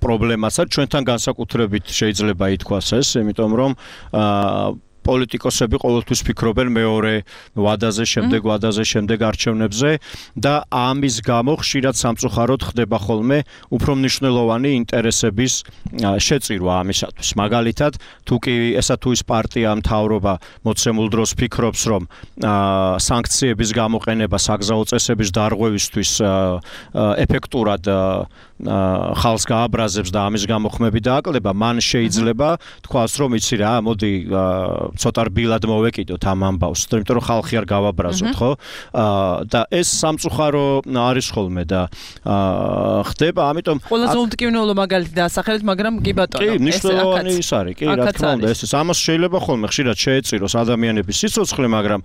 პრობლემასაც ჩვენთან განსაკუთრებით შეიძლება ითქვას ეს, იმიტომ რომ პოლიტიკოსები ყოველთვის ფიქრობენ მეორე ვადაზე, შემდეგ ვადაზე, შემდეგ არჩევნებზე და ამის გამო ხშირად სამწუხაროდ ხდება ხოლმე უფრო მნიშვნელოვანი ინტერესების შეწირვა ამისათვის. მაგალითად, თუ კი ესა თუ ის პარტია მთავრობა მოცემულ დროს ფიქრობს, რომ სანქციების გამოყენება საგზაო წესების დარღვევისთვის ეფექტურად ხალხს გააბრაზებს და ამის გამო ხმები დააკლდება, მან შეიძლება თქვას, რომ იცი რა, მოდი ცოტა რბილად მოვეკიდოთ ამ ამბავს, იმიტომ რომ ხალხი არ გავაბრაზოთ, ხო? და ეს სამწუხარო არის ხოლმე და ხდება, ამიტომ ყველაზე უმტკივნეულო მაგალითი დაასახელეთ, მაგრამ კი ბატონო, კი, მნიშვნელოვანი ის არის, კი, რა თქმა უნდა, ეს ამას შეიძლება ხოლმე ხშირად შეეწიროს ადამიანების სიცოცხლე, მაგრამ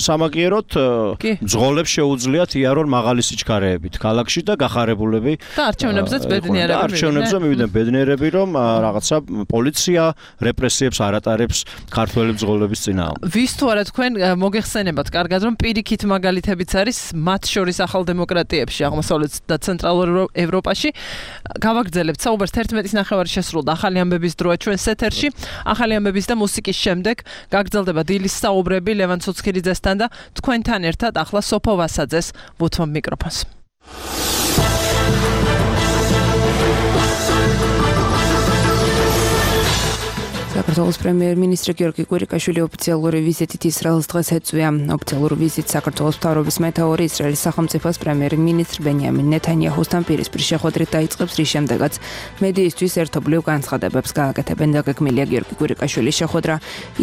სამაგიეროდ მძღოლებს შეუძლიათ იარონ მაღალი სიჩქარეებით ქალაქში და გახარებულები და არჩევნებზეც ბედნიერები არჩევნებზე მივიდნენ ბედნიერები, რომ რაღაცა პოლიცია რეპრესიებს არ ატარებს ქართველი მძღოლების წინააღმდეგ. ვის თუ არა თქვენ მოგეხსენებათ კარგად, რომ პირიქით მაგალითებიც არის მათ შორის ახალ დემოკრატიებში, აღმოსავლეთ და ცენტრალურ ევროპაში. გავაგრძელებთ საუბარს თერთმეტის ნახევარი შესრულდა ახალი ამბების დროა ჩვენს ეთერში. ახალი ამბების და მუსიკის შემდეგ გაგრძელდება დილის საუბრები ლევან ცოცხილიძესთან და თქვენთან ერთად ახლა სოფო ვასაძეს ვუთმობ მიკროფონს. საქართველოს პრემიერ-მინისტრი გიორგი კვირიკაშვილი ოფიციალური ვიზიტით ისრაელს დღეს ეწვია. ოფიციალური ვიზიტ საქართველოს მთავრობის მეთაური ისრაელის სახელმწიფოს პრემიერ-მინისტრ ბენიამინ ნეთანიაჰუსთან პირისპիր შეხვედრით დაიწყებს, რის შემდეგაც მედიისთვის ერთობლივ განცხადებებს გააკეთებენ. დაგეგმილია გიორგი კვირიკაშვილის შეხვედრა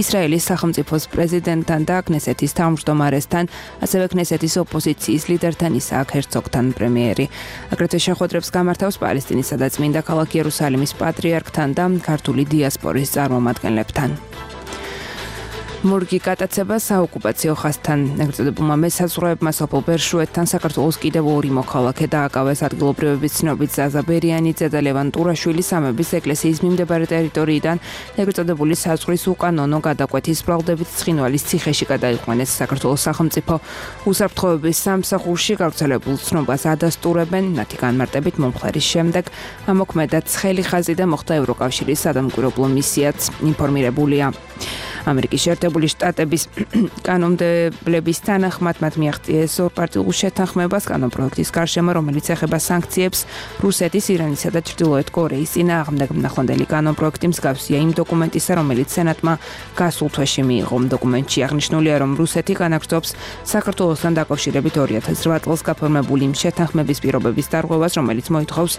ისრაელის სახელმწიფოს პრეზიდენტთან და კნესეთის თავმჯდომარესთან, ასევე კნესეთის ოპოზიციის ლიდერთან ისააკ ჰერცოგთან. პრემიერი აგრეთვე შეხვედრებს გამართავს პალესტინისა და წმინდა ქალაქ იერუსალიმის პატრიარქთან და ქართული დიასპორის წარმომადგენლებთან. მოგენლებთან. მორგი გატაცება საოკუპაციო ხაზთან. ეგრეთ წოდებულმა მესაზღვრეებმა სოფელ ბერშუეთთან საქართველოს კიდევ ორი მოქალაქე დააკავეს. ადგილობრივების ცნობით ზაზა ბერიანიძე და ლევან ტურაშვილი სამების ეკლესიის მიმდებარე ტერიტორიიდან ეგრეთ წოდებული საზღვრის უკანონო გადაკვეთის ბრალდებით ცხინვალის ციხეში გადაიყვანეს. საქართველოს სახელმწიფო უსაფრთხოების სამსახურში გავრცელებულ ცნობას ადასტურებენ. მათი განმარტებით მომხდარის შემდეგ ამოქმედა ცხელი ხაზი და მოხდა ევროკავშირის სადამკვირვებლო მისიაც ინფორმირებულია. ამერიკის შეერთებული შტატების კანონმდებლების თანახმად მათ მიაღწიეს ორპარტიულ შეთანხმებას კანონპროექტის გარშემო, რომელიც ეხება სანქციებს რუსეთის, ირანისა და ჩრდილოეთ კორეის წინააღმდეგ. ნახვანდელი კანონპროექტი მსგავსია იმ დოკუმენტისა, რომელიც სენატმა გასულ თვეში მიიღო. დოკუმენტში აღნიშნულია, რომ რუსეთი განაგრძობს საქართველოსთან დაკავშირებით ორი ათას რვა წელს გაფორმებული შეთანხმების პირობების დარღვევას, რომელიც მოითხოვს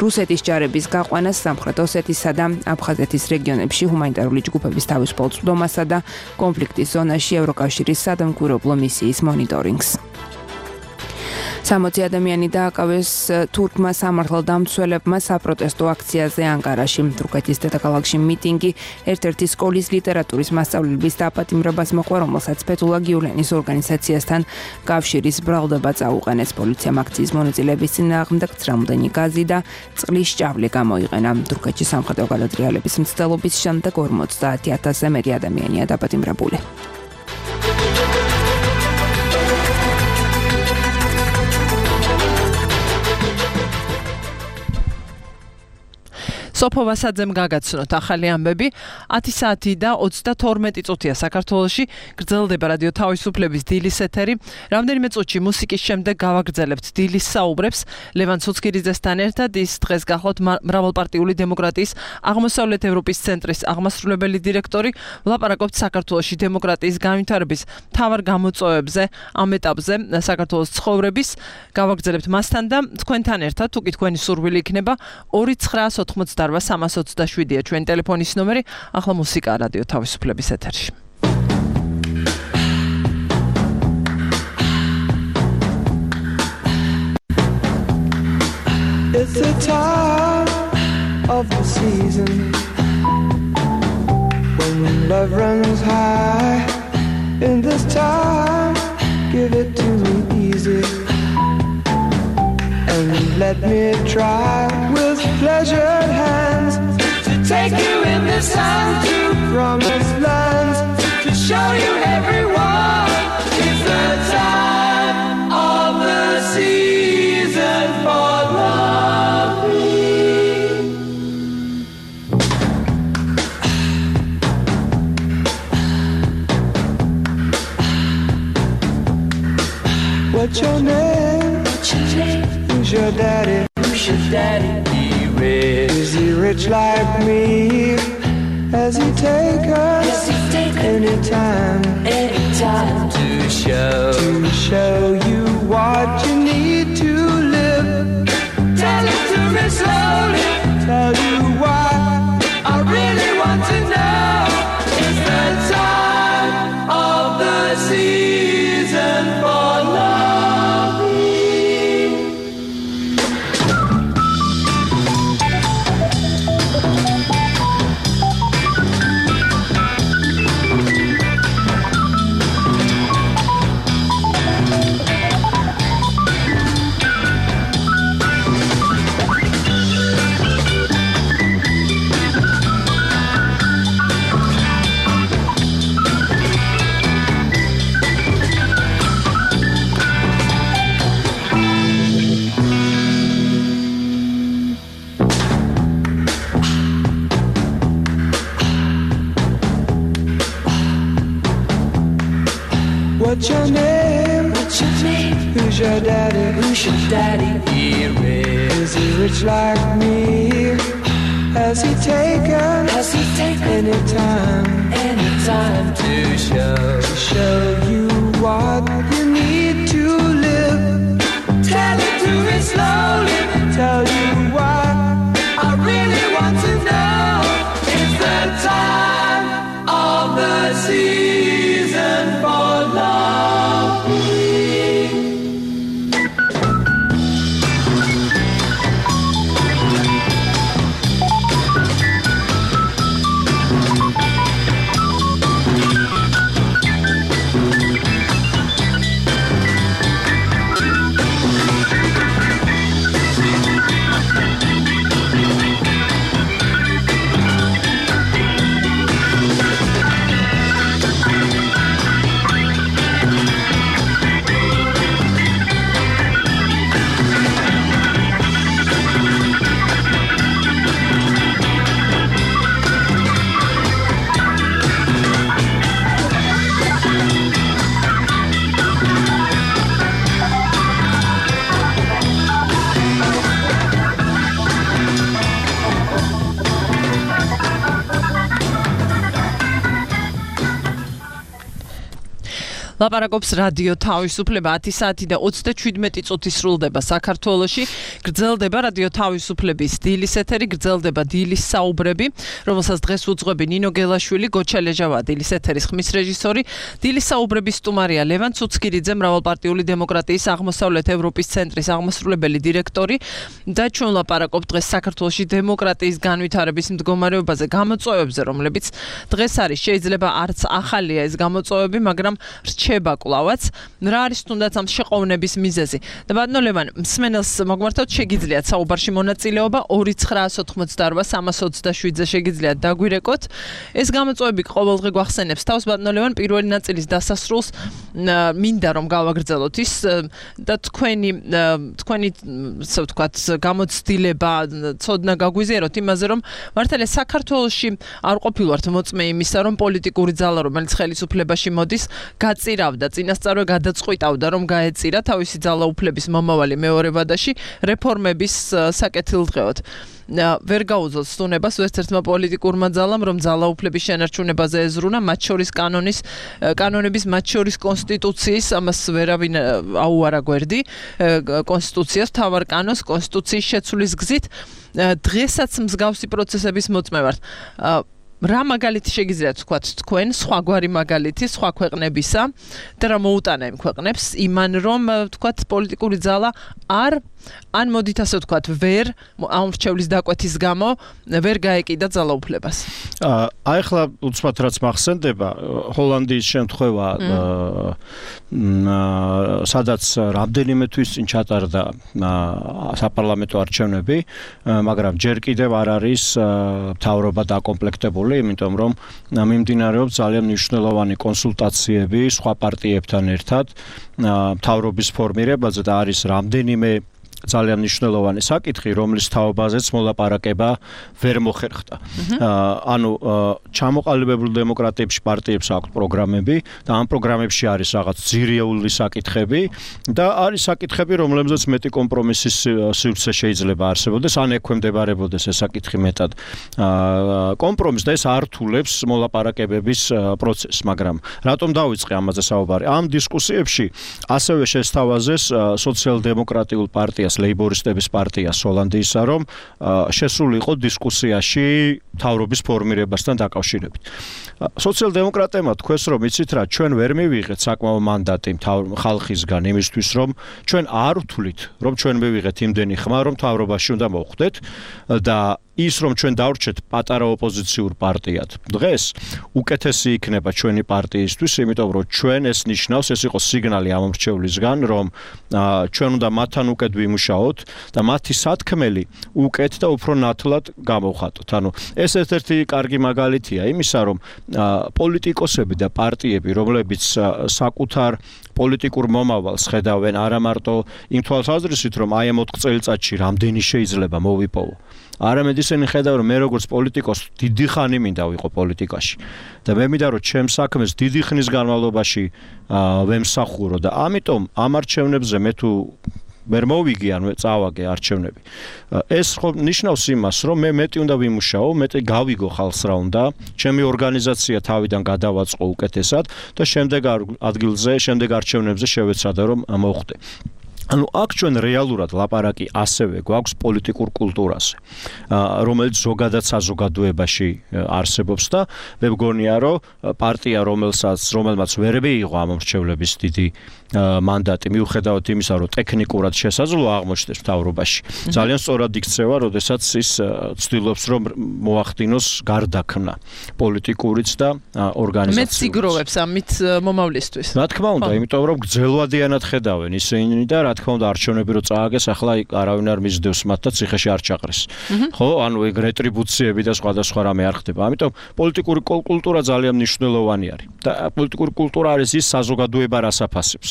რუსეთის ჯარების გაყვანას სამხრეთ ოსეთისა და აფხაზეთის რეგიონებში ჰუმანიტარული ჯგუფების თავისუფალ წვდომასა და კონფლიქტის ზონაში ევროკავშირის სადამკვირვებლო მისიის მონიტორინგს. სამოცი ადამიანი დააკავეს თურქმა სამართალდამცველებმა საპროტესტო აქციაზე ანკარაში. თურქეთის დედაქალაქში მიტინგი ერთ-ერთი სკოლის ლიტერატურის მასწავლებლების დაპატიმრებას მოყვა, რომელსაც ფეთულა გიულენის ორგანიზაციასთან კავშირის ბრალდება წაუყენეს. პოლიციამ აქციის მონაწილეების წინააღმდეგ ცრამლდენი გაზი და წყლის ჭავლი გამოიყენა. თურქეთში სამხედრო გადატრიალების მცდელობის შემდეგ ორმოცდაათი ათასზე მეტი ადამიანია დაპატიმრებული. სოფო ვასაძემ გაგაცნოთ ახალი ამბები. ათი საათი და ოცდათორმეტი წუთია საქართველოში გრძელდება რადიო თავისუფლების დილის ეთერი. რამდენიმე წუთში მუსიკის შემდეგ გავაგრძელებთ დილის საუბრებს ლევან ცოცხილიძესთან ერთად. ის დღეს გახლავთ მრავალპარტიული დემოკრატიის აღმოსავლეთ ევროპის ცენტრის აღმასრულებელი დირექტორი. ვლაპარაკობთ საქართველოში დემოკრატიის განვითარების მთავარ გამოწვევებზე, ამ ეტაპზე საქართველოს ცხოვრების. გავაგრძელებთ მასთან და თქვენთან ერთად, თუ კი თქვენი სურვილი იქნება, ორი ცხრაას ოთხმოცდაოთხი სამას ოცდაშვიდია ჩვენი ტელეფონის ნომერი. ახლა მუსიკა რადიო თავისუფლების ეთერში. It's the time of the season when love runs high. In this time, give it to me easy and let me try with pleasured hands to take you in this time to promised lands, to show you everyone it's the time of the season for loving. What's your name? What's your name? Who's your daddy? Who's your daddy? He rich. Is he rich like me? Has he take us? Has he take anytime? Anytime to show to show you what you need to live. Tell it to me slowly. Tell you why I really want to know. It's the time. What's your name? What's your name? Who's your daddy? Who's your daddy? He rich. Is he rich like me? Has he taken? Has he taken any time? Any time to show? To show you what you need to live. Tell it to me slowly. Tell you what I really want to know. It's the time of the season for love. ლაპარაკობს რადიო თავისუფლება ათი საათი და ოცდაშვიდმეტი წუთი სრულდება საქართველოში. გრძელდება რადიო თავისუფლების დილის ეთერი, გრძელდება დილის საუბრები, რომელსაც დღეს უძღვები ნინო გელაშვილი, გოჩა ლეჟავა, დილის ეთერის ხმის რეჟისორი, დილის საუბრების სტუმარია ლევან ცუცკირიძე, მრავალპარტიული დემოკრატიის აღმოსავლეთ ევროპის ცენტრის აღმასრულებელი დირექტორი და ჩვენ ლაპარაკობთ დღეს საქართველოში დემოკრატიის განვითარების მდგომარეობაზე, გამოწვევებზე, რომლებიც დღეს არის. შეიძლება არც ახალია ეს გამოწვევები, მაგრამ რჩება კლავაც. რა არის თუნდაც ამ შეყოვნების მიზეზი? და ბატონო ლევან, მსმენელს მოგმართოთ, შეგიძლიათ საუბარში მონაწილეობა ორი ცხრა ოცდაოთხ სამას ოცდაშვიდზე შეგიძლიათ დაგვირეკოთ. ეს გამოწვევები ყოველდღე გვახსენებს თავს. ბატონო ლევან, პირველი ნაწილის დასასრულს მინდა რომ გავაგრძელოთ ის და თქვენი თქვენი ასე ვთქვათ გამოცდილება ცოდნა გაგვიზიაროთ იმაზე, რომ მართალია საქართველოში არ ყოფილვართ მოწმე იმისა, რომ პოლიტიკური ძალა, რომელიც ხელისუფლებაში მოდის, გაწირავდა, წინასწარვე გადაწყვიტავდა, რომ გაეწირა თავისი ძალაუფლების მომავალი მეორე ვადაში რეფორმების საკეთილდღეოდ. ვერ გაუძლოთ სტუნებას ერთ-ერთმა პოლიტიკურმა ძალამ, რომ ძალაუფლების შენარჩუნებაზე ეზრუნა, მათ შორის კანონის კანონების, მათ შორის კონსტიტუციის, ამას ვერავინ აუარა გვერდი, კონსტიტუციას, მთავარ კანონს, კონსტიტუციის შეცვლის გზით. დღესაც მსგავსი პროცესების მოწმე ვართ. რა მაგალითი შეგიძლიათ თქვათ თქვენ, სხვაგვარი მაგალითი, სხვა ქვეყნებისა და რა მოუტანა იმ ქვეყნებს იმან, რომ თქვათ პოლიტიკური ძალა არ ან მოდით ასე ვთქვათ, ვერ ამ რჩევლის დაკვეთის გამო ვერ გაეკიდა ძალაუფლებას. აი ახლა უცბად რაც მახსენდება, ჰოლანდიის შემთხვევა, სადაც რამდენიმე თვის წინ ჩატარდა საპარლამენტო არჩევნები, მაგრამ ჯერ კიდევ არ არის მთავრობა დაკომპლექტებული, იმიტომ რომ მიმდინარეობს ძალიან მნიშვნელოვანი კონსულტაციები სხვა პარტიებთან ერთად მთავრობის ფორმირებაზე და არის რამდენიმე ძალიან მნიშვნელოვანი საკითხი, რომლის თაობაზეც მოლაპარაკება ვერ მოხერხდა. ანუ ჩამოყალიბებულ დემოკრატიებში პარტიებს აქვთ პროგრამები და ამ პროგრამებში არის რაღაც ძირეული საკითხები და არის საკითხები, რომლებზეც მეტი კომპრომისის სივრცე შეიძლება არსებობდეს, ან ექვემდებარებოდეს ეს საკითხი მეტად კომპრომისს და ეს არ რთულებს მოლაპარაკებების პროცესს, მაგრამ რატომ დავიწყე ამაზე საუბარი? ამ დისკუსიებში ასევე შესთავაზეს სოციალ-დემოკრატიულ პარტიას ლეიბორისტების პარტიას ჰოლანდიისა, რომ შესული იყო დისკუსიაში მთავრობის ფორმირებასთან დაკავშირებით. სოციალ-დემოკრატებმა თქვეს, რომ იცით რა, ჩვენ ვერ მივიღეთ საკმაო მანდატი ხალხისგან იმისთვის, რომ ჩვენ არ ვთვლით, რომ ჩვენ მივიღეთ იმდენი ხმა, რომ მთავრობაში უნდა მოვხვდეთ და ის რომ ჩვენ დავრჩეთ პატარა ოპოზიციურ პარტიად. დღეს უკეთესი იქნება ჩვენი პარტიისთვის, იმიტომ რომ ჩვენ ეს ნიშნავს, ეს იყო სიგნალი ამ მრჩევლისგან, რომ ჩვენ უნდა მათთან უკეთ ვიმუშაოთ და მათი სათქმელი უკეთ და უფრო ნათლად გამოვხატოთ. ანუ ეს ერთ-ერთი კარგი მაგალითია იმისა, რომ პოლიტიკოსები და პარტიები, რომლებიც საკუთარ პოლიტიკურ მომავალს ხედავენ არა მარტო იმ თვალსაზრისით, რომ აი ამ ოთხ წელიწადში რამდენი შეიძლება მოვიპოვო. არამედ ისინი ხედავენ, რომ მე როგორც პოლიტიკოს დიდი ხანი მინდა ვიყო პოლიტიკაში და მე მინდა რომ ჩემს საქმეს დიდი ხნის განმავლობაში ვემსახურო და ამიტომ ამ არჩევნებზე მე თუ ვერ მოვიგი ან წავაგე არჩევნები. ეს ხო ნიშნავს იმას, რომ მე მეტი უნდა ვიმუშაო, მეტი გავიგო ხალხს რა უნდა, ჩემი ორგანიზაცია თავიდან გადავაწყო უკეთესად და შემდეგ ადგილზე, შემდეგ არჩევნებზე შევეცადა რომ მოვხდე. ანუ აქ ჩვენ რეალურად ლაპარაკი ასევე გვაქვს პოლიტიკურ კულტურაზე, რომელიც ზოგადად საზოგადოებაში არსებობს და მე მგონია, რომ პარტია, რომელსაც რომელმაც ვერ მიიღო ამ მრჩევლების დიდი მანდატი, მიუხედავად იმისა, რომ ტექნიკურად შესაძლოა აღმოჩნდეს მთავრობაში, ძალიან სწორად იქცევა, როდესაც ის ცდილობს, რომ მოახდინოს გარდაქმნა პოლიტიკურიც და ორგანიზაციურიც. მეც სიგროვებს ამით მომავლისთვის. რა თქმა უნდა, იმიტომ რომ გრძელვადიანად ხედავენ ისინი და რა თქმა უნდა არჩევნები რო წააგეს, ახლა არავინ არ მისდევს მათ და ციხეში არ ჩაყრეს. ხო, ანუ ეგ რეტრიბუციები და სხვადასხვა რამე არ ხდება. ამიტომ პოლიტიკური კულტურა ძალიან მნიშვნელოვანი არის. და პოლიტიკური კულტურა არის ის საზოგადოება რას აფასებს.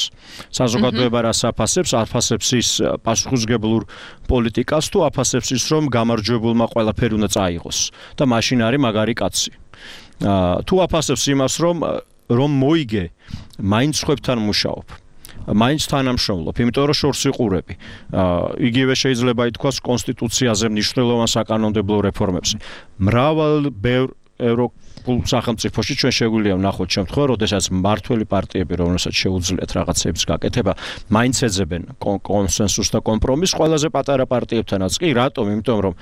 საზოგადოება რას აფასებს, აფასებს ის პასუხისმგებლურ პოლიტიკას თუ აფასებს ის, რომ გამარჯვებულმა ყველაფერი უნდა წაიღოს და მაშინ არის მაგარი კაცი. თუ აფასებს იმას, რომ რომ მოიგე, მაინც ხვებთან მუშაობ. მაინც თანამშრომლობ, იმიტომ რომ შორს იყურები. იგივე შეიძლება ითქვას კონსტიტუციაზე მნიშვნელოვან საკანონმდებლო რეფორმებზე. მრავალ ბევრ ევროპულ სახელმწიფოში ჩვენ შეგვიძლია ვნახოთ შემთხვევა, როდესაც მმართველი პარტიები, რომელსაც შეუძლიათ რაღაცების გაკეთება, მაინც ეძებენ კონსენსუსს და კომპრომისს ყველაზე პატარა პარტიებთანაც. კი, რატომ? იმიტომ რომ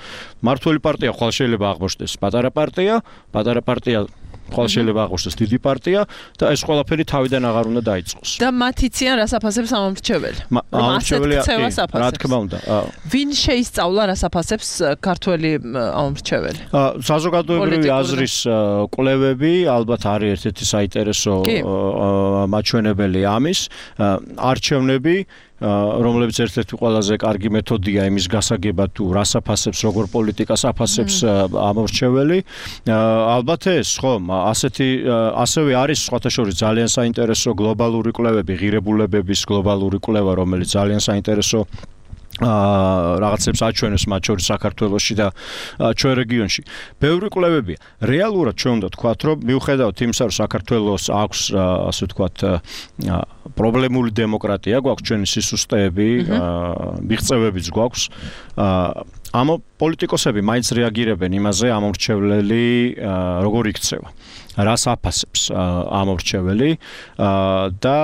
მმართველი პარტია ხვალ შეიძლება აღმოჩნდეს პატარა პარტია, პატარა პარტია ხვალ შეიძლება აღმოჩნდეს დიდი პარტია და ეს ყველაფერი თავიდან აღარ უნდა დაიწყოს. და მათ იციან რას აფასებს ამ მრჩეველი. ამრჩეველი რა თქმა უნდა. ვინ შეისწავლა რას აფასებს ქართველი ამ მრჩეველი? საზოგადოებრივი აზრის კვლევები ალბათ არის ერთ-ერთი საინტერესო მაჩვენებელი ამის. არჩევნები რომლებიც ერთ-ერთი ყველაზე კარგი მეთოდია იმის გასაგებად თუ რას აფასებს, როგორ პოლიტიკას აფასებს ამორჩეველი. ალბათ ეს, ხო, ასეთი ასევე არის სხვათა შორის ძალიან საინტერესო გლობალური კვლევები, ღირებულებების გლობალური კვლევა, რომელიც ძალიან საინტერესო აა რაღაცებს აჩვენებს მათ შორის საქართველოში და ჩვენ რეგიონში. ბევრი კვლევებია. რეალურად ჩვენ უნდა ვთქვათ, რომ მიუხედავად იმისა, რომ საქართველოს აქვს ასე ვთქვათ პრობლემული დემოკრატია, გვაქვს ჩვენი სისუსტეები, მიღწევებიც გვაქვს. ამ პოლიტიკოსები მაინც რეაგირებენ იმაზე, ამ მრჩევლელი როგორ იქცევა. რას აფასებს ამორჩეველი და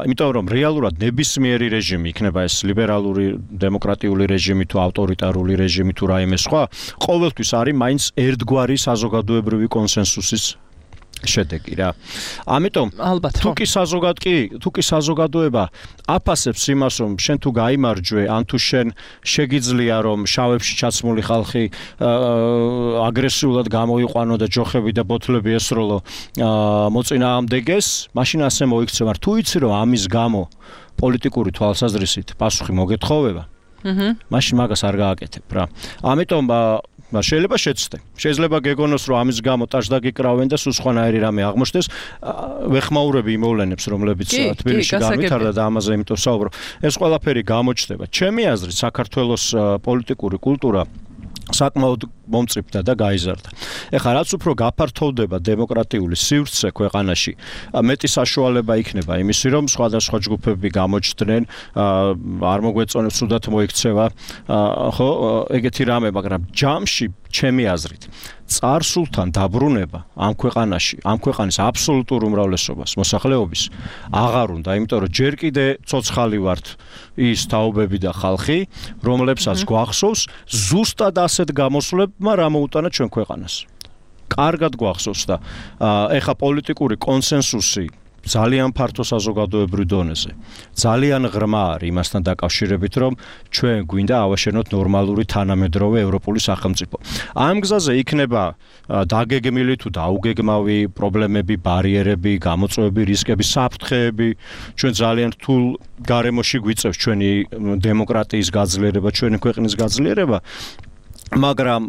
იმიტომ რომ რეალურად ნებისმიერი რეჟიმი იქნება ეს ლიბერალური დემოკრატიული რეჟიმი თუ ავტორიტარული რეჟიმი თუ რაიმე სხვა ყოველთვის არის მაინც ერთგვარი საზოგადოებრივი კონსენსუსის შედეგი რა. ამიტომ თუ კი საზოგად კი თუ კი საზოგადოება აფასებს იმას რომ შენ თუ გაიმარჯვე ან თუ შენ შეგიძლია რომ შავებში ჩაცმული ხალხი აგრესიულად გამოიყვანო და ჯოხები და ბოთლები ესროლო მოწინააღმდეგეს, მაშინ ასე მოიქცევა. თუ იცი რომ ამის გამო პოლიტიკური თვალსაზრისით პასუხი მოგეთხოვება, მაშინ მაგას არ გააკეთებ რა. ამიტომ შეიძლება შეცდე. შეიძლება გეგონოს რომ ამის გამო ტაჟდაგიკრავენ და სულ სხვანაირი რამე აღმოჩნდეს. ვეხმაურები იმ მოვლენებს, რომლებიც თბილისში განვითარდა და ამაზე იმიტომ საუბრობ. ეს ყველაფერი გამოჩნდება. ჩემი აზრით, საქართველოს პოლიტიკური კულტურა საკმაოდ მომწიფდა და გაიზარდა. ეხლა რაც უფრო გაფართოვდება დემოკრატიული სივრცე ქვეყანაში, მეტი საშუალება იქნება იმისი, რომ სხვადასხვა ჯგუფები გამოჩნდნენ, არ მოგვეწონებს თუდად მოიქცევა, ხო, ეგეთი რამე, მაგრამ ჯამში ჩემი აზრით წარსულთან დაბრუნება ამ ქვეყანაში, ამ ქვეყანის აბსოლუტურ უმრავლესობას, მოსახლეობის აღარ უნდა, იმიტომ რომ ჯერ კიდე ცოცხალი ვართ ის თაობები და ხალხი, რომლებსაც გვახსოვს ზუსტად ასეთ გამოსვლებმა რა მოუტანა ჩვენ ქვეყანას. კარგად გვახსოვს და ეხა პოლიტიკური კონსენსუსი ძალიან ფართო საზოგადოებრივ დონეზე. ძალიან ღრმა არის იმასთან დაკავშირებით, რომ ჩვენ გვინდა ავაშენოთ ნორმალური თანამედროვე ევროპული სახელმწიფო. ამ გზაზე იქნება დაგეგმილი თუ დაუგეგმავი პრობლემები, ბარიერები, გამოწვევები, რისკები, საფრთხეები. ჩვენ ძალიან რთულ გარემოში გვიწევს ჩვენი დემოკრატიის გაძლიერება, ჩვენი ქვეყნის გაძლიერება, მაგრამ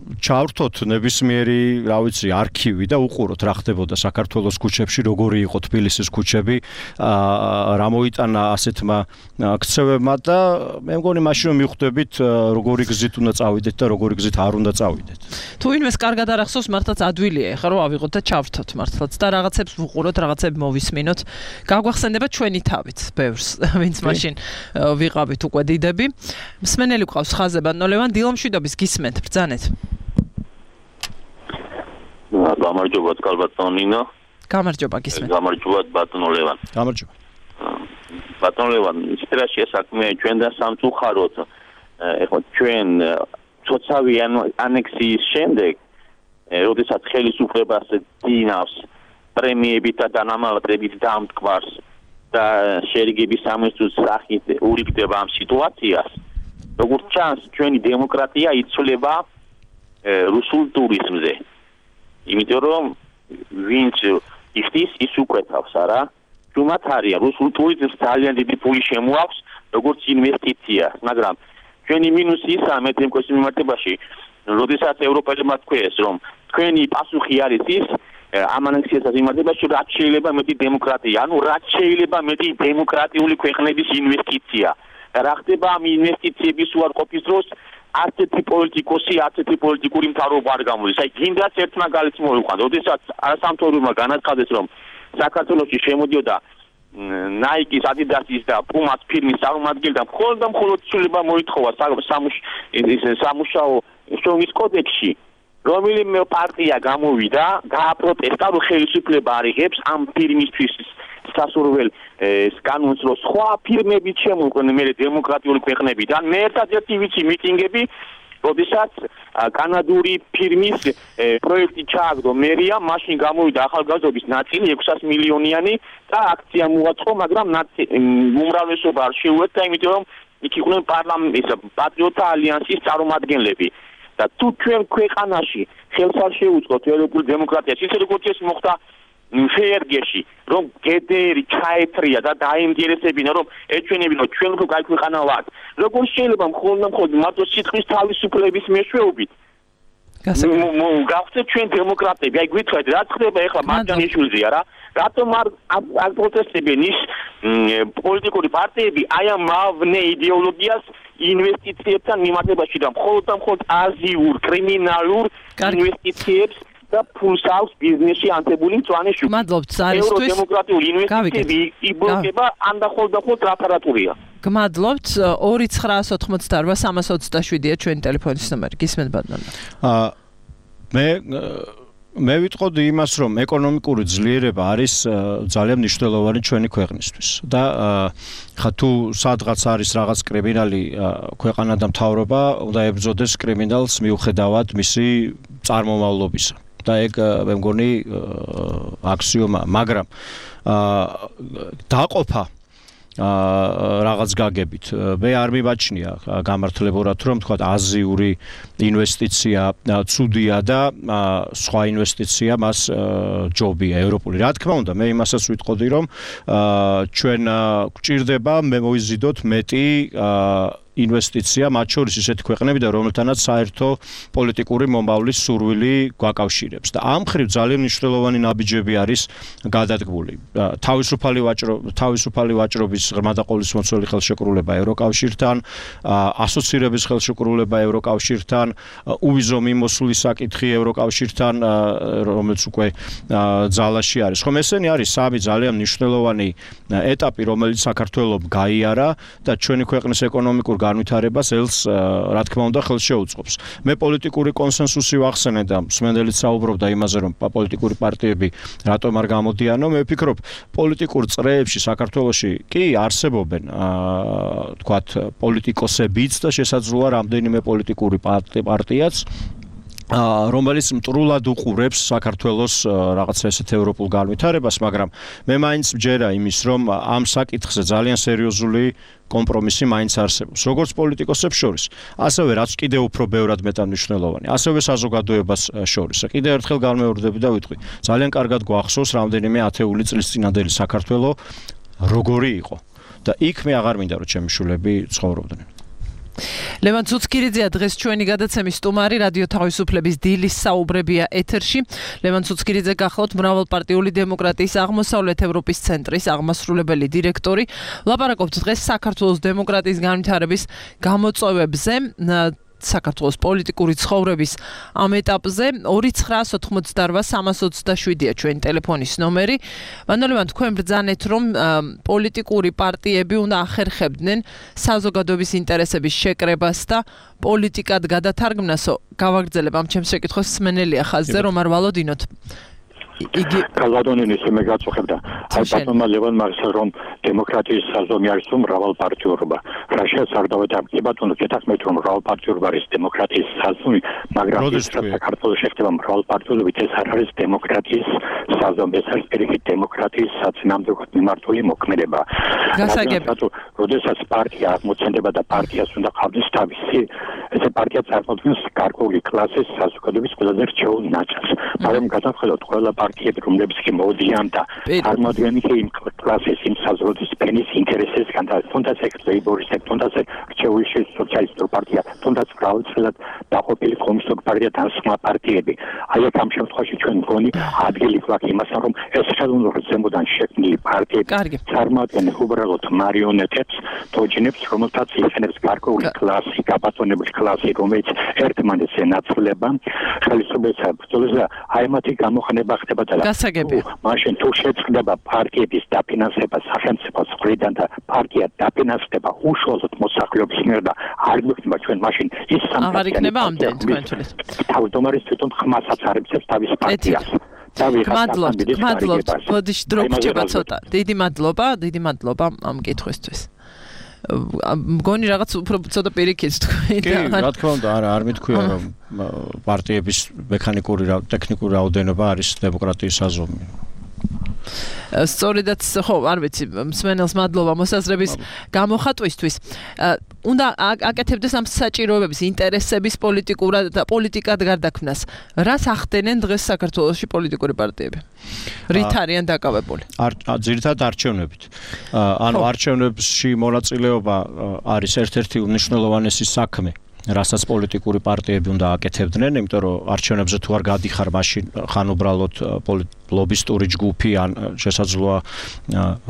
ჩავრთოთ ნებისმიერი, რა ვიცი, არქივი და უყუროთ რა ხდებოდა საქართველოს ქუჩებში, როგორი იყო თბილისის ქუჩები, რა მოიტანა ასეთმა ქცევებმა და მე მგონი მაშინ რომ მივხვდებით როგორი გზით უნდა წავიდეთ და როგორი გზით არ უნდა წავიდეთ. თუ ინვეს კარგად არ ახსოვს, მართლაც ადვილია ეხლა რომ ავიღოთ და ჩავრთოთ მართლაც და რაღაცებს ვუყუროთ, რაღაცები მოვისმინოთ. გაგვახსენდება ჩვენი თავით, ბევრს, ვინც მაშინ ვიყავით უკვე დიდები. მსმენელი გვყავს ხაზზე ბატონო ლევან, დილამშვიდობის გისმენთ, ბრძანეთ. გამარჯობა ბატონო ნინო. გამარჯობა გისმენთ. გამარჯობა ბატონო ლევან. გამარჯობა. ბატონო ლევან, ისტრაში საქმე ჩვენთან სამწუხაროდ. ეხლა ჩვენ ცოცავი ანექსიის შემდეგ, როდესაც ხელისუფლებას დინავს პრემიებით და დანამატებით დამტკვარს და შერიგების სამოსთვის სახით ურიგდება ამ სიტუაციას, როგორც ჩანს, ჩვენი დემოკრატია იცვლება რუსულ ტურიზმზე. იმიტომ რომ ვინც იხდის, ის უკვეთავს, არა? თუმცა არია რუსულ ტურიზმს ძალიან დიდი ფული შემოაქვს, როგორც ინვესტიცია, მაგრამ ჩვენი მინუსი ისაა მე თემკოს მიმართებაში, როდესაც ევროპელებმა თქვეს, რომ თქვენი პასუხი არის ის ამ ანექსიასთან მიმართებაში, რაც შეიძლება მეტი დემოკრატია, ანუ რაც შეიძლება მეტი დემოკრატიული ქვეყნების ინვესტიცია. რა ხდება ამ ინვესტიციების უარყოფის დროს? ასეთი პოლიტიკოსი, ასეთი პოლიტიკური მთავრობა არ გამოდის. აი, გინდათ ერთ მაგალითს მოვიყვანო, როდესაც არასამთავრობო განაცხადეს, რომ საქართველოში შემოდიოდა Nike, Adidas და Puma ფირმის წარმომადგენელი და მხოლოდ და მხოლოდ ცვლილება მოითხოვა სამუშაო შრომის კოდექსში, რომელიმე პარტია გამოვიდა, გააპროტესტა, რომ ხელისუფლება არ იღებს ამ ფირმისთვის სასურველ კანონს, რომ სხვა ფირმები შემოყვნენ მე დემოკრატიული ქვეყნებიდან. მე ერთადერთი ვიცი მიტინგები, როდესაც კანადური ფირმის პროექტი ჩააგდო მერია, მაშინ გამოვიდა ახალგაზრდობის ნაწილი ექვსას მილიონიანი და აქცია მოაწყო, მაგრამ უმრავლესობა არ შეუერთდა, იმიტომ რომ იქ იყვნენ პარლამენტის პატრიოტთა ალიანსის წარმომადგენლები. და თუ ჩვენ ქვეყანაში ხელს არ შეუწყოთ ევროპულ დემოკრატიას, ისე როგორც ეს მოხდა ფერგეში, რომ გედერი ჩაეთრია და დაინტერესებინა, რომ ეჩვენებინა, რომ ჩვენ უფრო კაი ქვეყანა ვართ. როგორ შეიძლება მხოლოდ და მხოლოდ მარტო სიტყვის თავისუფლების მეშვეობით გავხდეთ ჩვენ დემოკრატები? აი გვითხრათ, რა ხდება ეხლა მარჯანიშვილზეა რა? რატომ არ არ პროტესტებენ ის პოლიტიკური პარტიები აი ამ მავნე იდეოლოგიას ინვესტიციებთან მიმართებაში და მხოლოდ და მხოლოდ აზიურ კრიმინალურ ინვესტიციებს და ფულს აქვს ბიზნესში ანთებული მწვანე შუქი. გმადლობთ ზარისთვის. ევროდემოკრატიული ინვესტიციები იბლოკება ან და ხოლმე და ხოლმე ტრაპარატურია. გმადლობთ. ორი ცხრაას ოცდაოთხმოცდაორვა სამას ოცდაშვიდია ჩვენი ტელეფონის ნომერი. გისმენთ ბატონო. აა მე მე ვიტყოდი იმას, რომ ეკონომიკური ძლიერება არის ძალიან მნიშვნელოვანი ჩვენი ქვეყნისთვის და ხა თუ სადღაც არის რაღაც კრიმინალი ქვეყანა და მთავრობა უნდა ებრძოდეს კრიმინალს მიუხედავად მისი წარმომავლობისა. და ეგ მე მგონი აქსიომა, მაგრამ დაყოფა რაღაც გაგებით მე არ მიმაჩნია გამართლებურად, რომ თქვა აზიური ინვესტიცია ცუდია და სხვა ინვესტიცია მას ჯობია ევროპული. რა თქმა უნდა, მე იმასაც ვიტყოდი, რომ ჩვენ გვჭირდება მე მოიზიდოთ მეტი ინვესტიცია მათ შორის ისეთი ქვეყნებიდან, რომელთანაც საერთო პოლიტიკური მომავლის სურვილი გვაკავშირებს. და ამ მხრივ ძალიან მნიშვნელოვანი ნაბიჯები არის გადადგმული. თავისუფალი ვაჭრო თავისუფალი ვაჭრობის ღრმა და ყოვლისმომცველი ხელშეკრულება ევროკავშირთან, ასოცირების ხელშეკრულება ევროკავშირთან, უვიზო მიმოსვლის საკითხი ევროკავშირთან, რომელიც უკვე ძალაში არის. ხომ ესენი არის სამი ძალიან მნიშვნელოვანი ეტაპი, რომელიც საქართველოს გაიარა და ჩვენი ქვეყნის ეკონომიკურ განვითარებას ელს რა თქმა უნდა ხელს შეუწყობს. მე პოლიტიკური კონსენსუსი ვახსენე და მსმენელიც საუბრობდა იმაზე, რომ პოლიტიკური პარტიები რატომ არ გამოდიანო. მე ვფიქრობ, პოლიტიკურ წრეებში საქართველოში კი არსებობენ თქვათ პოლიტიკოსებიც და შესაძლოა რამდენიმე პოლიტიკური პარტიაც რომელიც მტრულად უყურებს საქართველოს რაღაცა ესეთ ევროპულ განვითარებას, მაგრამ მე მაინც მჯერა იმის, რომ ამ საკითხზე ძალიან სერიოზული კომპრომისი მაინც არსებობს, როგორც პოლიტიკოსებს შორის, ასევე რაც კიდევ უფრო ბევრად მეტანიშნულოვანი, ასევე საზოგადოებას შორის. კიდევ ერთხელ განმეორდები და ვიტყვი, ძალიან კარგად გვახსოვს რამდენიმე ათეული წლის წინანდელი საქართველო როგორი იყო და იქ მე აღარ მინდა რომ ჩემი შვილები ცხოვრობდნენ. ლევან ცუცქირიძეა დღეს ჩვენი გადაცემის სტუმარი, რადიო თავისუფლების დილის საუბრებია ეთერში. ლევან ცუცქირიძე გახლავთ მრავალპარტიული დემოკრატიის აღმოსავლეთ ევროპის ცენტრის აღმასრულებელი დირექტორი. ლაპარაკობთ დღეს საქართველოს დემოკრატიის განვითარების გამოწვევებზე. საქართველოს პოლიტიკური ცხოვრების ამ ეტაპზე ორი ცხრა ოთხმოცდაოთხ სამას ოცდაშვიდია ჩვენი ტელეფონის ნომერი. მანდელევან თქვენ ბრძანეთ რომ პოლიტიკური პარტიები უნდა ახერხებდნენ საზოგადოების ინტერესების შეკრებას და პოლიტიკად გადათარგმნასო. გავაგრძელებ ამ ჩემს შეკითხვას სმენელია ხაზზე რომ არ ვალოდინოთ. იგი კალადონინის მე გაწუხებდა. აი ბატონმა ლევანმა ասել რომ დემოკრატიის საზომი არის თუ მრავალპარტიურობა. რა შეესაბამება და კი ბატონო გეთახმეთ რომ მრავალპარტიურობა არის დემოკრატიის საზომი, მაგრამ ის საქართველოს შეხება მრავალპარტიულობით ეს არ არის დემოკრატიის საზომი, ეს არის პირიქით დემოკრატიის საწინააღმდეგოდ მიმართული მოქმედება. გასაგები. როდესაც პარტია აღმოცენდება და პარტიას უნდა ყავდეს თავისი, ესე პარტია წარმოადგენს გარკვეული კლასის საზოგადოების ყველაზე რჩეულ ნაწილს. მაგრამ გადავხედოთ ყველა პარტიები, რომლებიც კი მოდიან და წარმოადგენენ იმ კლასის, იმ საზოგადოების ფენის ინტერესებისგან და თუნდაც ეგ ლეიბორისტები, თუნდაც რჩეული სოციალისტური პარტია, თუნდაც მრავალწლად დაყოფილი კომუნისტური პარტია და სხვა პარტიები. აი აქ ამ შემთხვევაში ჩვენ მგონი ადგილი გვაქვს იმასთან, რომ ეს ხელოვნურად ზემოდან შექმნილი პარტიები წარმოადგენენ უბრალოდ მარიონეტებს, თოჯინებს, რომელთაც იყენებს გარკვეული კლასი, გაბატონებული კლასი, რომელიც ერთმანეთს ენაცვლება, ხელისუფლებასა ბრძოლასა, აი მათი გამოხენება ხდება და მაშინ თუ შეწყდება პარტიების დაფინანსება სახელმწიფოს მხრიდან და პარტია დაფინანსდება უშუალოდ მოსახლეობის მიერ და არ გვექნება ჩვენ მაშინ ის აღარ იქნება ამდენ თქვენ თulis. თავმჯდომარის თვითონ ხმასაც არებსებს თავის პარტიას. მადლობთ, მადლობთ. ბოდიში დრო გრჩება ცოტა. დიდი მადლობა, დიდი მადლობა ამ კითხვისთვის. მგონი რაღაც უფრო ცოტა პირიქით თქვი და კი, რა თქმა უნდა, არა, არ მithქვია რომ პარტიების მექანიკური ტექნიკური რაოდენობა არის დემოკრატიის საზომი. სწორედაც ხო, არ ვიცი, მსმენელს მადლობა მოსაზრების გამოხატვისთვის. უნდა აკეთებდეს ამ საჭიროებების, ინტერესების პოლიტიკურად და პოლიტიკად გარდაქმნას. რას ახდენენ დღეს საქართველოში პოლიტიკური პარტიები? რით არიან დაკავებული? ძირითადად არჩევნებით. ანუ არჩევნებში მონაწილეობა არის ერთ-ერთი უმნიშვნელოვანესი საქმე. რასაც პოლიტიკური პარტიები უნდა აკეთებდნენ, იმიტომ რომ არჩევნებზე თუ არ გადიხარ, მაშინ ხან უბრალოდ ლობისტური ჯგუფი ან შესაძლოა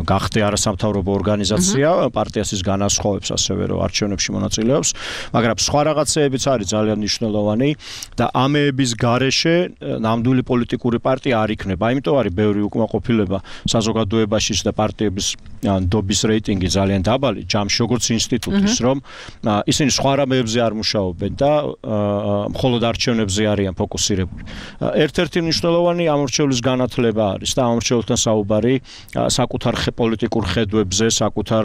გახდე არასამთავრობო ორგანიზაცია, პარტიას ის განასხვავებს ასევე რომ არჩევნებში მონაწილეობს, მაგრამ სხვა რაღაცეებიც არის ძალიან მნიშვნელოვანი და ამეების გარეშე ნამდვილი პოლიტიკური პარტია არ იქნება. იმიტომ არის ბევრი უკმაყოფილება საზოგადოებაშიც და პარტიების ნდობის რეიტინგი ძალიან დაბალი, ჯამში როგორც ინსტიტუტის, რომ ისინი სხვა რამეებზე არ მუშაობენ და მხოლოდ არჩევნებზე არიან ფოკუსირებული. ერთ-ერთი მნიშვნელოვანი ამორჩევლის განათლება არის და ამორჩეულთან საუბარი საკუთარ პოლიტიკურ ხედვებზე, საკუთარ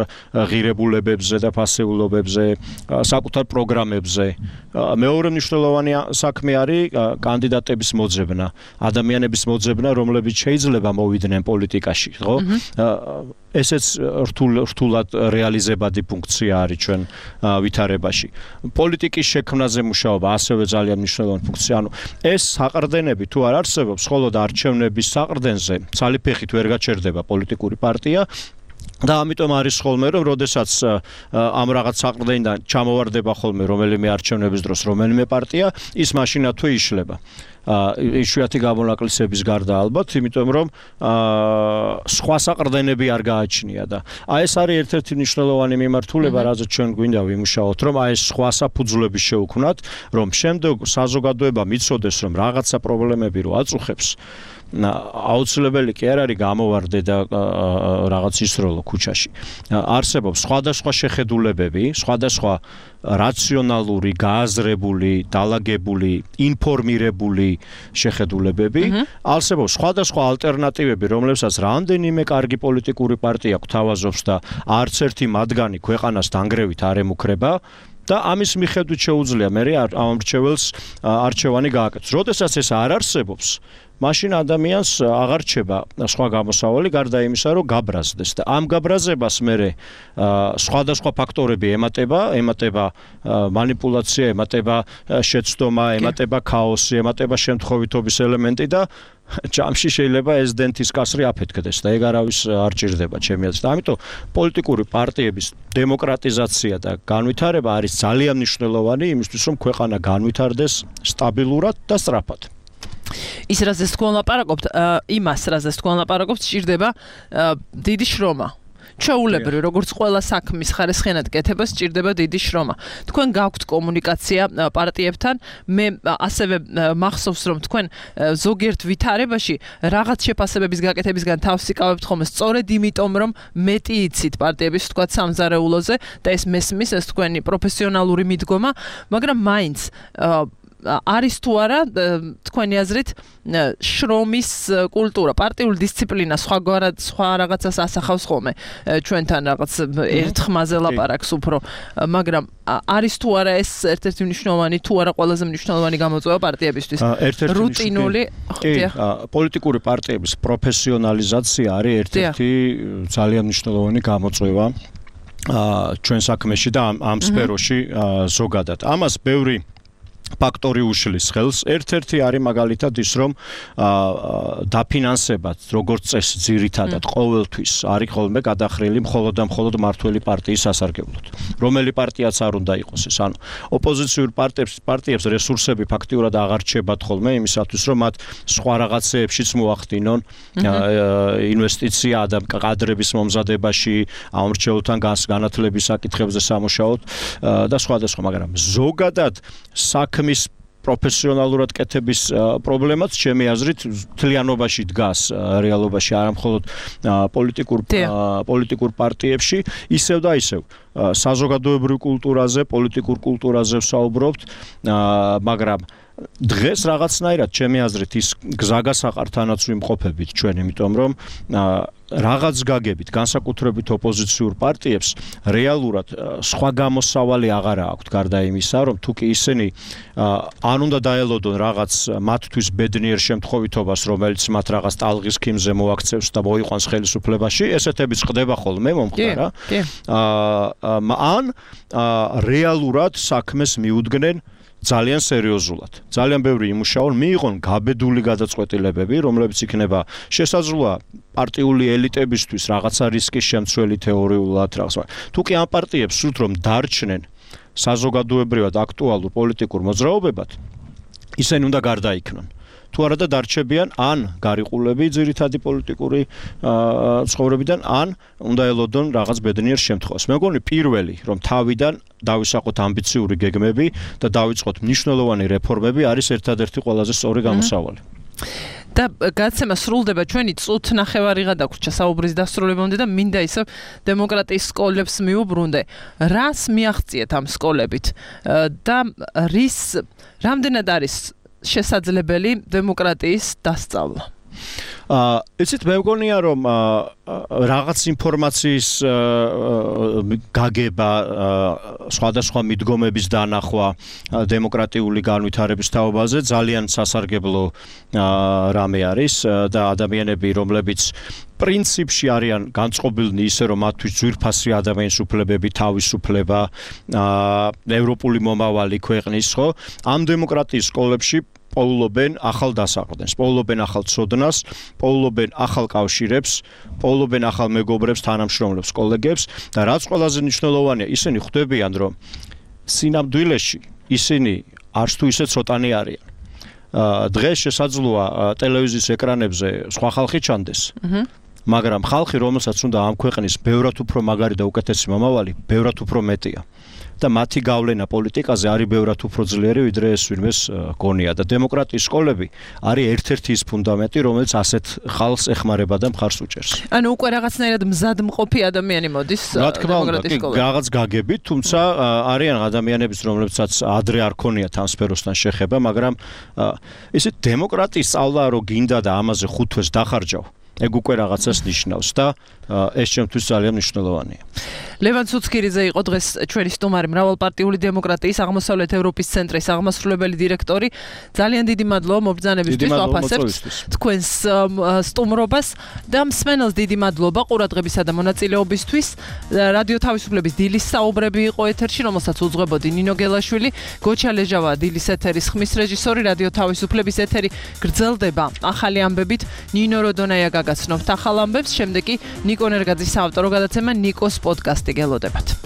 ღირებულებებზე და ფასეულობებზე, საკუთარ პროგრამებზე. მეორე მნიშვნელოვანი საქმე არის კანდიდატების მოძებნა, ადამიანების მოძებნა, რომლებიც შეიძლება მოვიდნენ პოლიტიკაში, ხო? ესეც რთულად რეალიზებადი ფუნქცია არის ჩვენ ვითარებაში. პოლიტიკის შექმნაზე მუშაობა ასევე ძალიან მნიშვნელოვანი ფუნქცია. ანუ ეს საყრდენები თუ არ არსებობს, მხოლოდ არჩევნების საყრდენზე ცალიფეხით ვერ გაჩერდება პოლიტიკური პარტია. და ამიტომ არის ხოლმე რომ როდესაც ამ რაღაც საყრდენიდან ჩამოვარდება ხოლმე რომელიმე არჩევნების დროს რომელიმე პარტია, ის მაშინათვე იშლება. იშვიათი გამონაკლისების გარდა ალბათ, იმიტომ რომ სხვა საყრდენები არ გააჩნია და აი ეს არის ერთ-ერთი მნიშვნელოვანი მიმართულება, რაზეც ჩვენ გვინდა ვიმუშაოთ, რომ აი ეს სხვა საფუძვლები შევქმნათ, რომ შემდეგ საზოგადოება მიცოდეს, რომ რაღაცა პრობლემები რო აწუხებს, აუცილებელი კი არ არის გამოვარდე და რაღაც ისროლო ქუჩაში. არსებობს სხვადასხვა შეხედულებები, სხვადასხვა რაციონალური, გააზრებული, დალაგებული, ინფორმირებული შეხედულებები, არსებობს სხვადასხვა ალტერნატივები, რომლებსაც რამდენიმე კარგი პოლიტიკური პარტია გვთავაზობს და არც ერთი მათგანი ქვეყანას დანგრევით არ ემუქრება. და ამის მიხედვით შეუძლია მე ამ მრჩეველს არჩევანი გააკეთოს. როდესაც ეს არ არსებობს, მაშინ ადამიანს აღარ რჩება სხვა გამოსავალი გარდა იმისა, რომ გაბრაზდეს და ამ გაბრაზებას მე სხვადასხვა ფაქტორები ემატება, ემატება მანიპულაცია, ემატება შეცდომა, ემატება ქაოსი, ემატება შემთხვევითობის ელემენტი და ჯამში შეიძლება ეს დენთის კასრი აფეთქდეს და ეგ არავის არ ჭირდება ჩემი აზრით. ამიტომ პოლიტიკური პარტიების დემოკრატიზაცია და განვითარება არის ძალიან მნიშვნელოვანი იმისთვის, რომ ქვეყანა განვითარდეს სტაბილურად და სწრაფად. ის რაზეც თქვენ ლაპარაკობთ, იმას რაზეც თქვენ ლაპარაკობთ, სჭირდება დიდი შრომა. ჩვეულებრივ, როგორც ყველა საქმის ხარისხიანად კეთება, სჭირდება დიდი შრომა. თქვენ გაქვთ კომუნიკაცია პარტიებთან, მე ასევე მახსოვს, რომ თქვენ ზოგიერთ ვითარებაში რაღაც შეფასებების გაკეთებისგან თავს იკავებთ ხოლმე, სწორედ იმიტომ, რომ მეტი იცით პარტიების თქვა სამზარეულოზე და ეს მესმის, ეს თქვენი პროფესიონალური მიდგომა, მაგრამ მაინც არის თუ არა თქვენი აზრით შრომის კულტურა, პარტიული დისციპლინა სხვაგვარად სხვა რაღაცას ასახავს ხოლმე ჩვენთან რაღაც ერთ ხმაზე ლაპარაკს უფრო, მაგრამ არის თუ არა ეს ერთ-ერთი მნიშვნელოვანი თუ არა ყველაზე მნიშვნელოვანი გამოწვევა პარტიებისთვის? რუტინული პოლიტიკური პარტიების პროფესიონალიზაცია არის ერთ-ერთი ძალიან მნიშვნელოვანი გამოწვევა ჩვენ საქმეში და ამ სფეროში ზოგადად. ამას ბევრი ფაქტორი უშლის ხელს. ერთ-ერთი არის მაგალითად ის, რომ დაფინანსებად, როგორც წესი, ძირითადად ყოველთვის არის ხოლმე გადახრილი მხოლოდ და მხოლოდ მართველი პარტიის სასარგებლოდ. რომელი პარტიაც არ უნდა იყოს ეს. ანუ ოპოზიციურ პარტიებს პარტიებს რესურსები ფაქტიურად აღარ რჩებათ ხოლმე იმისათვის, რომ მათ სხვა რაღაცეებშიც მოახდინონ ინვესტიცია და კადრების მომზადებაში, ამორჩეულთან განათლების საკითხებზე სამუშაოდ და სხვადასხვა, მაგრამ ზოგადად საქმე მის პროფესიონალურად კეთების პრობლემაც ჩემი აზრით თლიანობაში დგას რეალობაში, არა მხოლოდ პოლიტიკურ პოლიტიკურ პარტიებში, ისევ და ისევ საზოგადოებრივ კულტურაზე, პოლიტიკურ კულტურაზე ვსაუბრობთ, მაგრამ დღეს რაღაცნაირად ჩემი აზრით ის გზაგასაყართანაც ვიმყოფებით ჩვენ, იმიტომ რომ რაღაც გაგებით, განსაკუთრებით ოპოზიციურ პარტიებს რეალურად სხვა გამოსავალი აღარ აქვთ გარდა იმისა, რომ თუკი ისინი ან უნდა დაელოდონ რაღაც მათთვის ბედნიერ შემთხვევითობას, რომელიც მათ რაღაც ტალღის ქიმზე მოაქცევს და მოიყვანს ხელისუფლებაში, ესეთებიც ხდება ხოლმე მომხდარა. ან რეალურად საქმეს მიუდგნენ ძალიან სერიოზულად. ძალიან ბევრი იმუშაონ, მიიღონ გაბედული გადაწყვეტილებები, რომლებიც იქნება შესაძლოა პარტიული ელიტებისთვის რაღაცა რისკის შემცველი თეორიულად რაღაცა. თუკი ამ პარტიებს სურთ რომ დარჩნენ საზოგადოებრივად აქტუალურ პოლიტიკურ მოძრაობებად, ისინი უნდა გარდაიქმნან. თუ არა და დარჩებიან ან გარიყულები ძირითადი პოლიტიკური ცხოვრებიდან, ან უნდა ელოდონ რაღაც ბედნიერ შემთხვევას. მე მგონი პირველი, რომ თავიდან დავისაყოთ ამბიციური გეგმები და დავიწყოთ მნიშვნელოვანი რეფორმები, არის ერთადერთი ყველაზე სწორი გამოსავალი. და გაცემა სრულდება ჩვენი წუთ ნახევარიღა დაგვრჩა საუბრის დასრულებამდე და მინდა ისევ დემოკრატიის სკოლებს მიუბრუნდე. რას მიაღწიეთ ამ სკოლებით და რის რამდენად არის შესაძლებელი დემოკრატიის დასწავლა? აა იცით, მე მგონია რომ რაღაც ინფორმაციის გაგება, სხვადასხვა მიდგომების დანახვა დემოკრატიული განვითარების თაობაზე ძალიან სასარგებლო რამე არის და ადამიანები, რომლებიც პრინციპში არიან განწყობილნი ისე, რომ მათთვის ძვირფასი ადამიანის უფლებები, თავისუფლება, ევროპული მომავალი ქვეყნის, ხო? ამ დემოკრატიის სკოლებში პოულობენ ახალ დასაყრდენს, პოულობენ ახალ ცოდნას, პოულობენ ახალ კავშირებს, პოულობენ ახალ მეგობრებს, თანამშრომლებს, კოლეგებს და რაც ყველაზე მნიშვნელოვანია, ისინი ხვდებიან, რომ სინამდვილეში ისინი არც თუ ისე ცოტანი არიან. დღეს შესაძლოა ტელევიზიის ეკრანებზე სხვა ხალხი ჩანდეს. მაგრამ ხალხი, რომელსაც უნდა ამ ქვეყნის ბევრად უფრო მაგარი და უკეთესი მომავალი, ბევრად უფრო მეტია. და მათი გავლენა პოლიტიკაზე არის ბევრად უფრო ძლიერი, ვიდრე ეს ვინმეს გონია და დემოკრატიის სკოლები არის ერთ-ერთი ის ფუნდამენტი, რომელიც ასეთ ხალხს ეხმარება და მხარს უჭერს. ანუ უკვე რაღაცნაირად მზადმყოფი ადამიანი მოდის დემოკრატიის სკოლებში. რაღაც გაგებით, თუმცა არიან ადამიანებიც, რომლებსაც ადრე არ ქონიათ ამ სფეროსთან შეხება, მაგრამ ისეთ დემოკრატიის სწავლა რო გინდა და ამაზე ხუთ თვეს დახარჯავ, ეგ უკვე რაღაცას ნიშნავს და ეს ჩემთვის ძალიან მნიშვნელოვანია. ლევან ცუცქირიძე იყო დღეს ჩვენი სტუმარი, მრავალპარტიული დემოკრატიის აღმოსავლეთ ევროპის ცენტრის აღმასრულებელი დირექტორი. ძალიან დიდი მადლობა მობრძანებისთვის, ვაფასებთ თქვენს სტუმრობას და მსმენელს დიდი მადლობა ყურადღებისა და მონაწილეობისთვის. რადიო თავისუფლების დილის საუბრები იყო ეთერში, რომელსაც უძღვებოდი ნინო გელაშვილი, გოჩა ლეჟავა დილის ეთერის ხმის რეჟისორი, რადიო თავისუფლების ეთერი გრძელდება ახალი ამბებით. ნინო როდონაია გაგაცნობთ ახალ ამბებს, შემდეგ კი ნიკო ნერგაძის საავტორო გადაცემა ნიკოს პოდკასტი გელოდებათ.